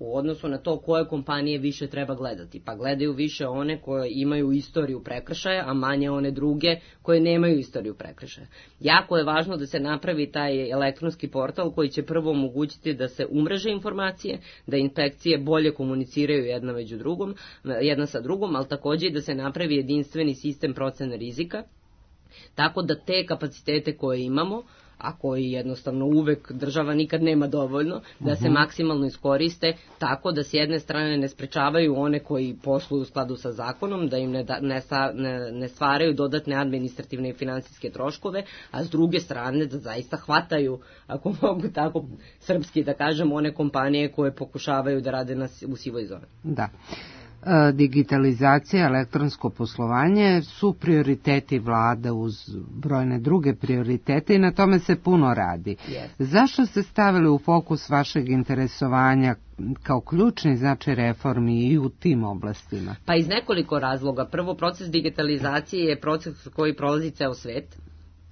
Speaker 1: u odnosu na to koje kompanije više treba gledati. Pa gledaju više one koje imaju istoriju prekršaja, a manje one druge koje nemaju istoriju prekršaja. Jako je važno da se napravi taj elektronski portal koji će prvo omogućiti da se umreže informacije, da inspekcije bolje komuniciraju jedna među drugom, jedna sa drugom, ali takođe i da se napravi jedinstveni sistem procene rizika, tako da te kapacitete koje imamo, a koji jednostavno uvek država nikad nema dovoljno, da se maksimalno iskoriste tako da s jedne strane ne sprečavaju one koji posluju u skladu sa zakonom, da im ne, da, ne, ne, ne stvaraju dodatne administrativne i finansijske troškove, a s druge strane da zaista hvataju, ako mogu tako srpski da kažem, one kompanije koje pokušavaju da rade na, u sivoj zoni.
Speaker 11: Da. Digitalizacija, elektronsko poslovanje su prioriteti vlada uz brojne druge prioritete i na tome se puno radi.
Speaker 1: Yes.
Speaker 11: Zašto ste stavili u fokus vašeg interesovanja kao ključni značaj reformi i u tim oblastima?
Speaker 1: Pa iz nekoliko razloga. Prvo, proces digitalizacije je proces koji prolazi ceo svet.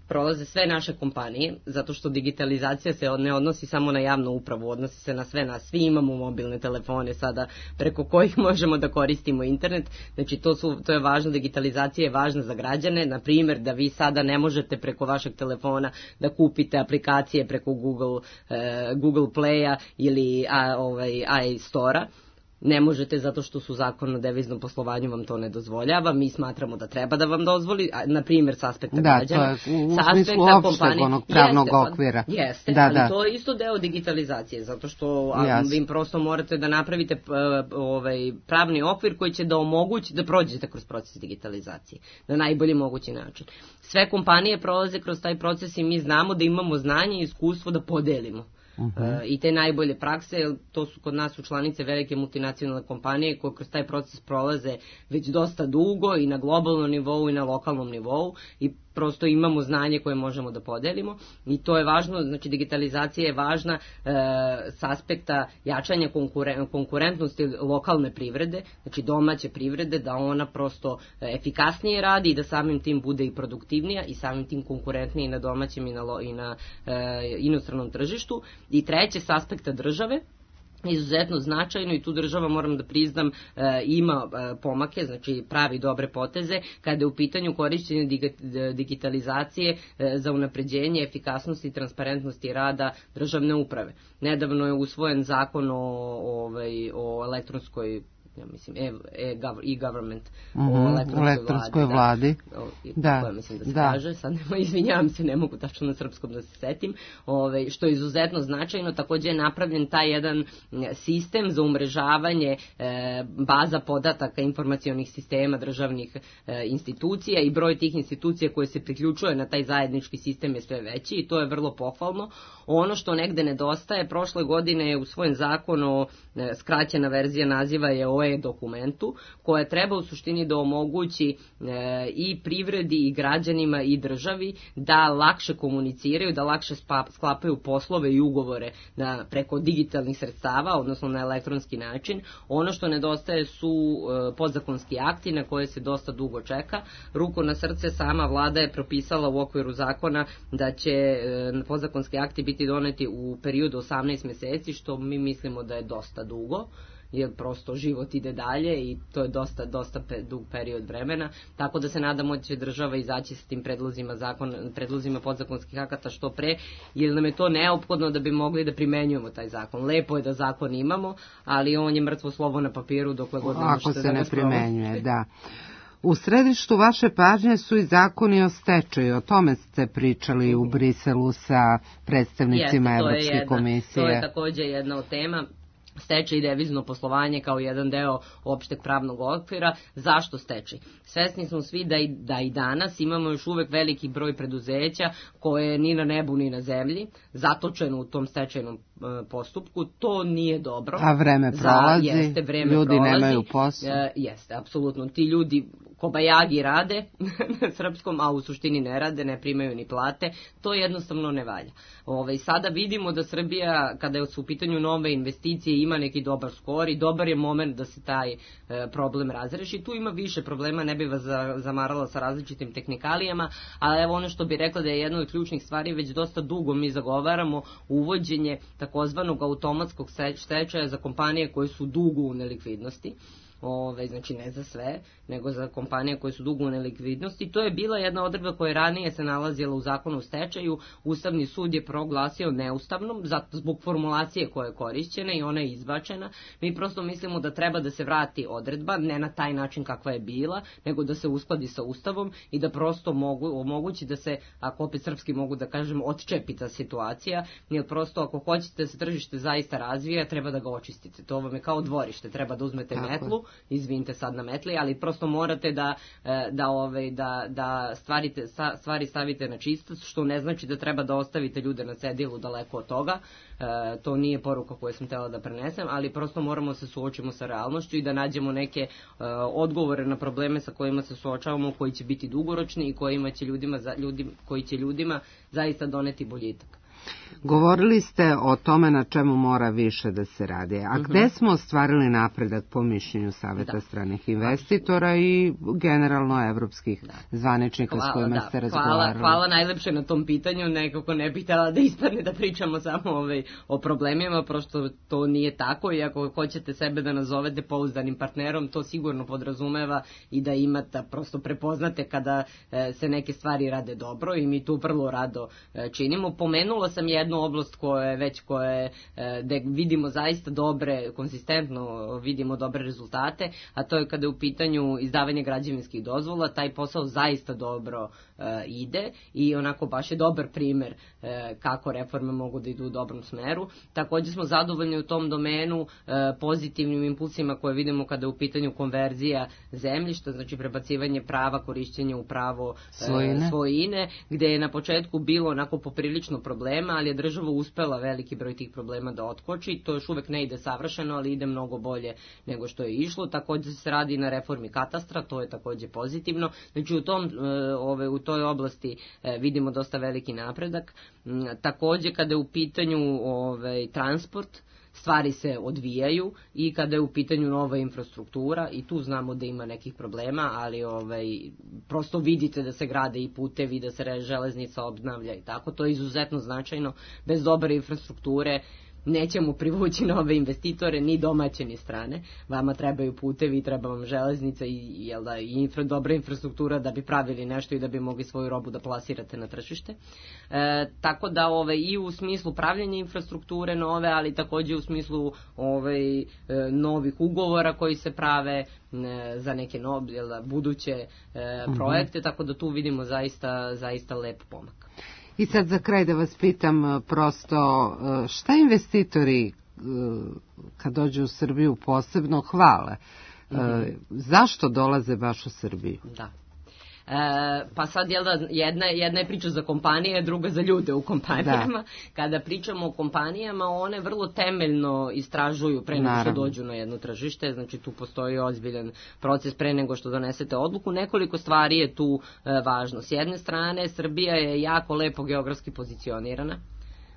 Speaker 1: Prolaze sve naše kompanije, zato što digitalizacija se ne odnosi samo na javnu upravu, odnosi se na sve nas. Svi imamo mobilne telefone sada preko kojih možemo da koristimo internet. Znači to, su, to je važno, digitalizacija je važna za građane. Na primjer, da vi sada ne možete preko vašeg telefona da kupite aplikacije preko Google, eh, Google Playa ili a, ovaj, iStora. Ne možete zato što su zakon o deviznom poslovanju vam to ne dozvoljava. Mi smatramo da treba da vam dozvoli, na primjer s aspekta
Speaker 11: da,
Speaker 1: građana.
Speaker 11: Da, to je u, u smislu opšteg onog pravnog
Speaker 1: jeste,
Speaker 11: okvira.
Speaker 1: Jeste,
Speaker 11: da,
Speaker 1: ali
Speaker 11: da.
Speaker 1: to je isto deo digitalizacije, zato što a, vi prosto morate da napravite uh, ovaj, pravni okvir koji će da omogući da prođete kroz proces digitalizacije na najbolji mogući način. Sve kompanije prolaze kroz taj proces i mi znamo da imamo znanje i iskustvo da podelimo. Uh-huh. I te najbolje prakse, to su kod nas su članice velike multinacionalne kompanije koje kroz taj proces prolaze već dosta dugo i na globalnom nivou i na lokalnom nivou i prosto imamo znanje koje možemo da podelimo i to je važno, znači digitalizacija je važna e, s aspekta jačanja konkuren, konkurentnosti lokalne privrede, znači domaće privrede, da ona prosto efikasnije radi i da samim tim bude i produktivnija i samim tim konkurentnije na domaćem i na, i na e, inostranom tržištu. I treće, s aspekta države, izuzetno značajno i tu država, moram da priznam, ima pomake, znači pravi dobre poteze kada je u pitanju korišćenje digitalizacije za unapređenje efikasnosti i transparentnosti rada državne uprave. Nedavno je usvojen zakon o, ovaj, o elektronskoj ja mislim, e-government,
Speaker 11: mm-hmm, o elektronskoj, elektronskoj vladi.
Speaker 1: vladi. Da, da, mislim da se da. kaže, sad nema, izvinjavam se, ne mogu tačno na srpskom da se setim, ove, što je izuzetno značajno. Takođe je napravljen taj jedan sistem za umrežavanje e, baza podataka informacionih sistema državnih e, institucija i broj tih institucija koje se priključuje na taj zajednički sistem je sve veći i to je vrlo pohvalno. Ono što negde nedostaje, prošle godine je usvojen zakon o, e, skraćena verzija naziva je o e-dokumentu, koja treba u suštini da omogući e, i privredi i građanima i državi da lakše komuniciraju, da lakše spa, sklapaju poslove i ugovore na, preko digitalnih sredstava, odnosno na elektronski način. Ono što nedostaje su e, podzakonski akti na koje se dosta dugo čeka. Ruku na srce, sama vlada je propisala u okviru zakona da će e, podzakonski akti biti doneti u periodu osamnaest meseci, što mi mislimo da je dosta dugo, jer prosto život ide dalje i to je dosta, dosta pe, dug period vremena, tako da se nadamo da će država izaći s tim predlozima, zakon, predlozima podzakonskih akata što pre, jer nam je to neophodno da bi mogli da primenjujemo taj zakon. Lepo je da zakon imamo, ali on je mrtvo slovo na papiru dokle god ne možete da ga
Speaker 11: Ako se ne primenjuje, da. U središtu vaše pažnje su i zakoni o stečaju, o tome ste pričali u Briselu sa predstavnicima
Speaker 1: Jeste,
Speaker 11: Evropske
Speaker 1: jedna,
Speaker 11: komisije.
Speaker 1: To je takođe jedna od tema. Stečaj i devizno poslovanje kao jedan deo opšteg pravnog okvira. Zašto stečaj? Svesni smo svi da i, da i danas imamo još uvek veliki broj preduzeća koje ni na nebu ni na zemlji, zatočeno u tom stečajnom e, postupku. To nije dobro.
Speaker 11: A vreme prolazi,
Speaker 1: Za, jeste, vreme
Speaker 11: ljudi
Speaker 1: prolazi,
Speaker 11: nemaju posao.
Speaker 1: E, jeste, apsolutno. Ti ljudi kobajagi rade na srpskom, a u suštini ne rade, ne primaju ni plate, to jednostavno ne valja. Ove, sada vidimo da Srbija, kada su u pitanju nove investicije, ima neki dobar skor i dobar je moment da se taj e, problem razreši. Tu ima više problema, ne bi vas za, zamarala sa različitim tehnikalijama, ali evo ono što bi rekla da je jedna od ključnih stvari, već dosta dugo mi zagovaramo uvođenje takozvanog automatskog stečaja za kompanije koje su dugo u nelikvidnosti. Ove, znači ne za sve, nego za kompanije koje su dugo u nelikvidnosti. To je bila jedna odredba koja ranije se nalazila u zakonu o stečaju. Ustavni sud je proglasio neustavnom zato zbog formulacije koja je korišćena i ona je izbačena. Mi prosto mislimo da treba da se vrati odredba, ne na taj način kakva je bila, nego da se uskladi sa Ustavom i da prosto mogu, omogući da se, ako opet srpski mogu da kažem, odčepi ta situacija, jer prosto ako hoćete da se tržište zaista razvija, treba da ga očistite. To vam je kao dvorište, treba da uzmete Tako. metlu, izvinite sad na metli, ali prosto morate da, da, ove, da, da stvarite, stvari stavite na čistac, što ne znači da treba da ostavite ljude na cedilu daleko od toga. E, to nije poruka koju sam htjela da prenesem, ali prosto moramo se suočimo sa realnošću i da nađemo neke e, odgovore na probleme sa kojima se suočavamo, koji će biti dugoročni i kojima će ljudima, ljudi, koji će ljudima zaista doneti boljitak.
Speaker 11: Govorili ste o tome na čemu mora više da se radi. A gde uh-huh. smo ostvarili napredak po mišljenju Saveta da. stranih investitora i generalno evropskih da. zvaničnika hvala, s kojima da. ste razgovarali?
Speaker 1: Hvala, hvala najlepše na tom pitanju. Nekako ne bih htjela da ispadne da pričamo samo ovaj, o problemima, prosto to nije tako i ako hoćete sebe da nazovete pouzdanim partnerom, to sigurno podrazumeva i da imate, prosto prepoznate kada e, se neke stvari rade dobro i mi tu vrlo rado e, činimo. Pomenula sam jednu oblast koje već koje gde vidimo zaista dobre, konsistentno vidimo dobre rezultate, a to je kada je u pitanju izdavanje građevinskih dozvola. Taj posao zaista dobro e, ide i onako baš je dobar primer e, kako reforme mogu da idu u dobrom smeru. Također smo zadovoljni u tom domenu e, pozitivnim impulsima koje vidimo kada je u pitanju konverzija zemljišta, znači prebacivanje prava korišćenja u pravo e, svojine. svojine, gde je na početku bilo onako poprilično problema, ali je država uspela veliki broj tih problema da otkoči. To još uvek ne ide savršeno, ali ide mnogo bolje nego što je išlo. Također se radi na reformi katastra, to je također pozitivno. Znači u, tom, ove, u toj oblasti vidimo dosta veliki napredak. Također kada je u pitanju ove, transport, stvari se odvijaju i kada je u pitanju nova infrastruktura i tu znamo da ima nekih problema, ali ovaj, prosto vidite da se grade i putevi, da se železnica obnavlja i tako. To je izuzetno značajno. Bez dobre infrastrukture nećemo privući nove investitore, ni domaće ni strane. Vama trebaju putevi, treba vam železnica i, jel da, i infra, dobra infrastruktura da bi pravili nešto i da bi mogli svoju robu da plasirate na tržište. E, tako da ove, i u smislu pravljenja infrastrukture nove, ali također u smislu ove, novih ugovora koji se prave e, za neke nove, jel da, buduće e, projekte, tako da tu vidimo zaista, zaista lep pomak.
Speaker 11: I sad za kraj da vas pitam prosto šta investitori kad dođu u Srbiju posebno hvale? Mm-hmm. Zašto dolaze baš u Srbiju?
Speaker 1: Da. E, pa sad jel da, jedna, jedna je priča za kompanije, druga za ljude u kompanijama. Da. Kada pričamo o kompanijama, one vrlo temeljno istražuju pre nego što dođu na jedno tržište, znači tu postoji ozbiljan proces pre nego što donesete odluku. Nekoliko stvari je tu e, važno. S jedne strane, Srbija je jako lepo geografski pozicionirana.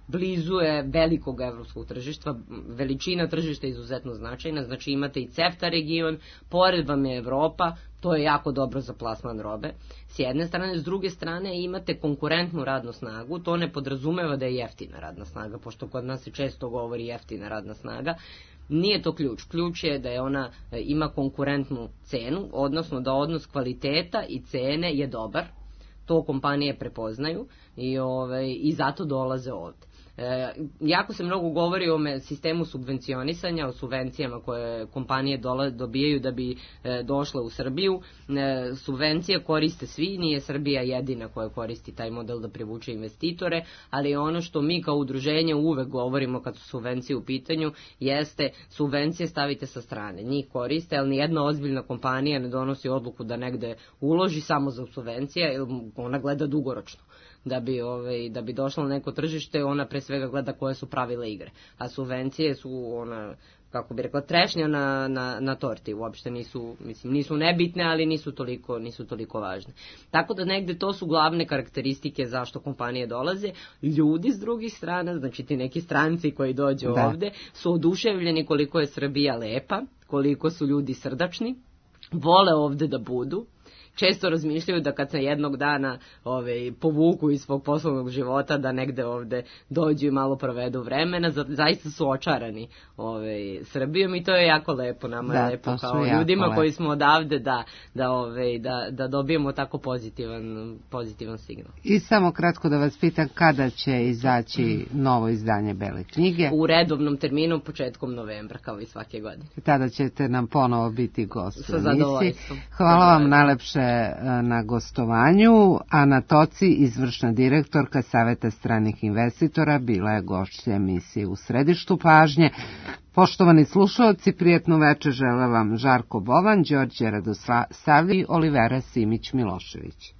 Speaker 1: Blizu je velikog evropskog tržišta, veličina tržišta je izuzetno značajna, znači imate i CEFTA region, pored vam je Evropa, to je jako dobro za plasman robe. S jedne strane, s druge strane imate konkurentnu radnu snagu, to ne podrazumeva da je jeftina radna snaga, pošto kod nas se često govori jeftina radna snaga. Nije to ključ. Ključ je da je ona ima konkurentnu cenu, odnosno da odnos kvaliteta i cene je dobar. To kompanije prepoznaju i, ove, i zato dolaze ovdje. E, jako se mnogo govori o sistemu subvencionisanja, o subvencijama koje kompanije dola, dobijaju da bi e, došle u Srbiju. E, subvencije koriste svi, nije Srbija jedina koja koristi taj model da privuče investitore, ali ono što mi kao udruženje uvek govorimo kad su subvencije u pitanju jeste subvencije stavite sa strane. Njih koriste, ali nijedna ozbiljna kompanija ne donosi odluku da negde uloži samo za subvencije, jer ona gleda dugoročno. Da bi, ovaj, da bi došla na neko tržište, ona pre svega gleda koje su pravila igre. A subvencije su ona kako bi rekla, trešnja na, na, na torti, uopšte nisu, mislim, nisu nebitne, ali nisu toliko, nisu toliko važne. Tako da negde to su glavne karakteristike zašto kompanije dolaze. Ljudi s drugih strana, znači ti neki stranci koji dođu da. ovde, su oduševljeni koliko je Srbija lepa, koliko su ljudi srdačni, vole ovde da budu, često razmišljaju da kad se jednog dana ove, povuku iz svog poslovnog života, da negde ovde dođu i malo provedu vremena, zaista su očarani ove, Srbijom i to je jako lepo, nama da, je lepo kao ljudima lepo. Koji smo odavde da, da, ove, da, da dobijemo tako pozitivan, pozitivan signal.
Speaker 11: I samo kratko da vas pitam, kada će izaći novo izdanje Bele knjige?
Speaker 1: U redovnom terminu, početkom novembra, kao i svake godine.
Speaker 11: Tada ćete nam ponovo biti gost.
Speaker 1: Sa zadovoljstvom.
Speaker 11: Hvala vam najlepše na gostovanju. Ana Toci, izvršna direktorka Saveta stranih investitora, bila je gošća emisije U središtu pažnje. Poštovani slušalci, prijetno večer žele vam Žarko Bovan, Đorđe Radosavljević i Olivera Simić Milošević.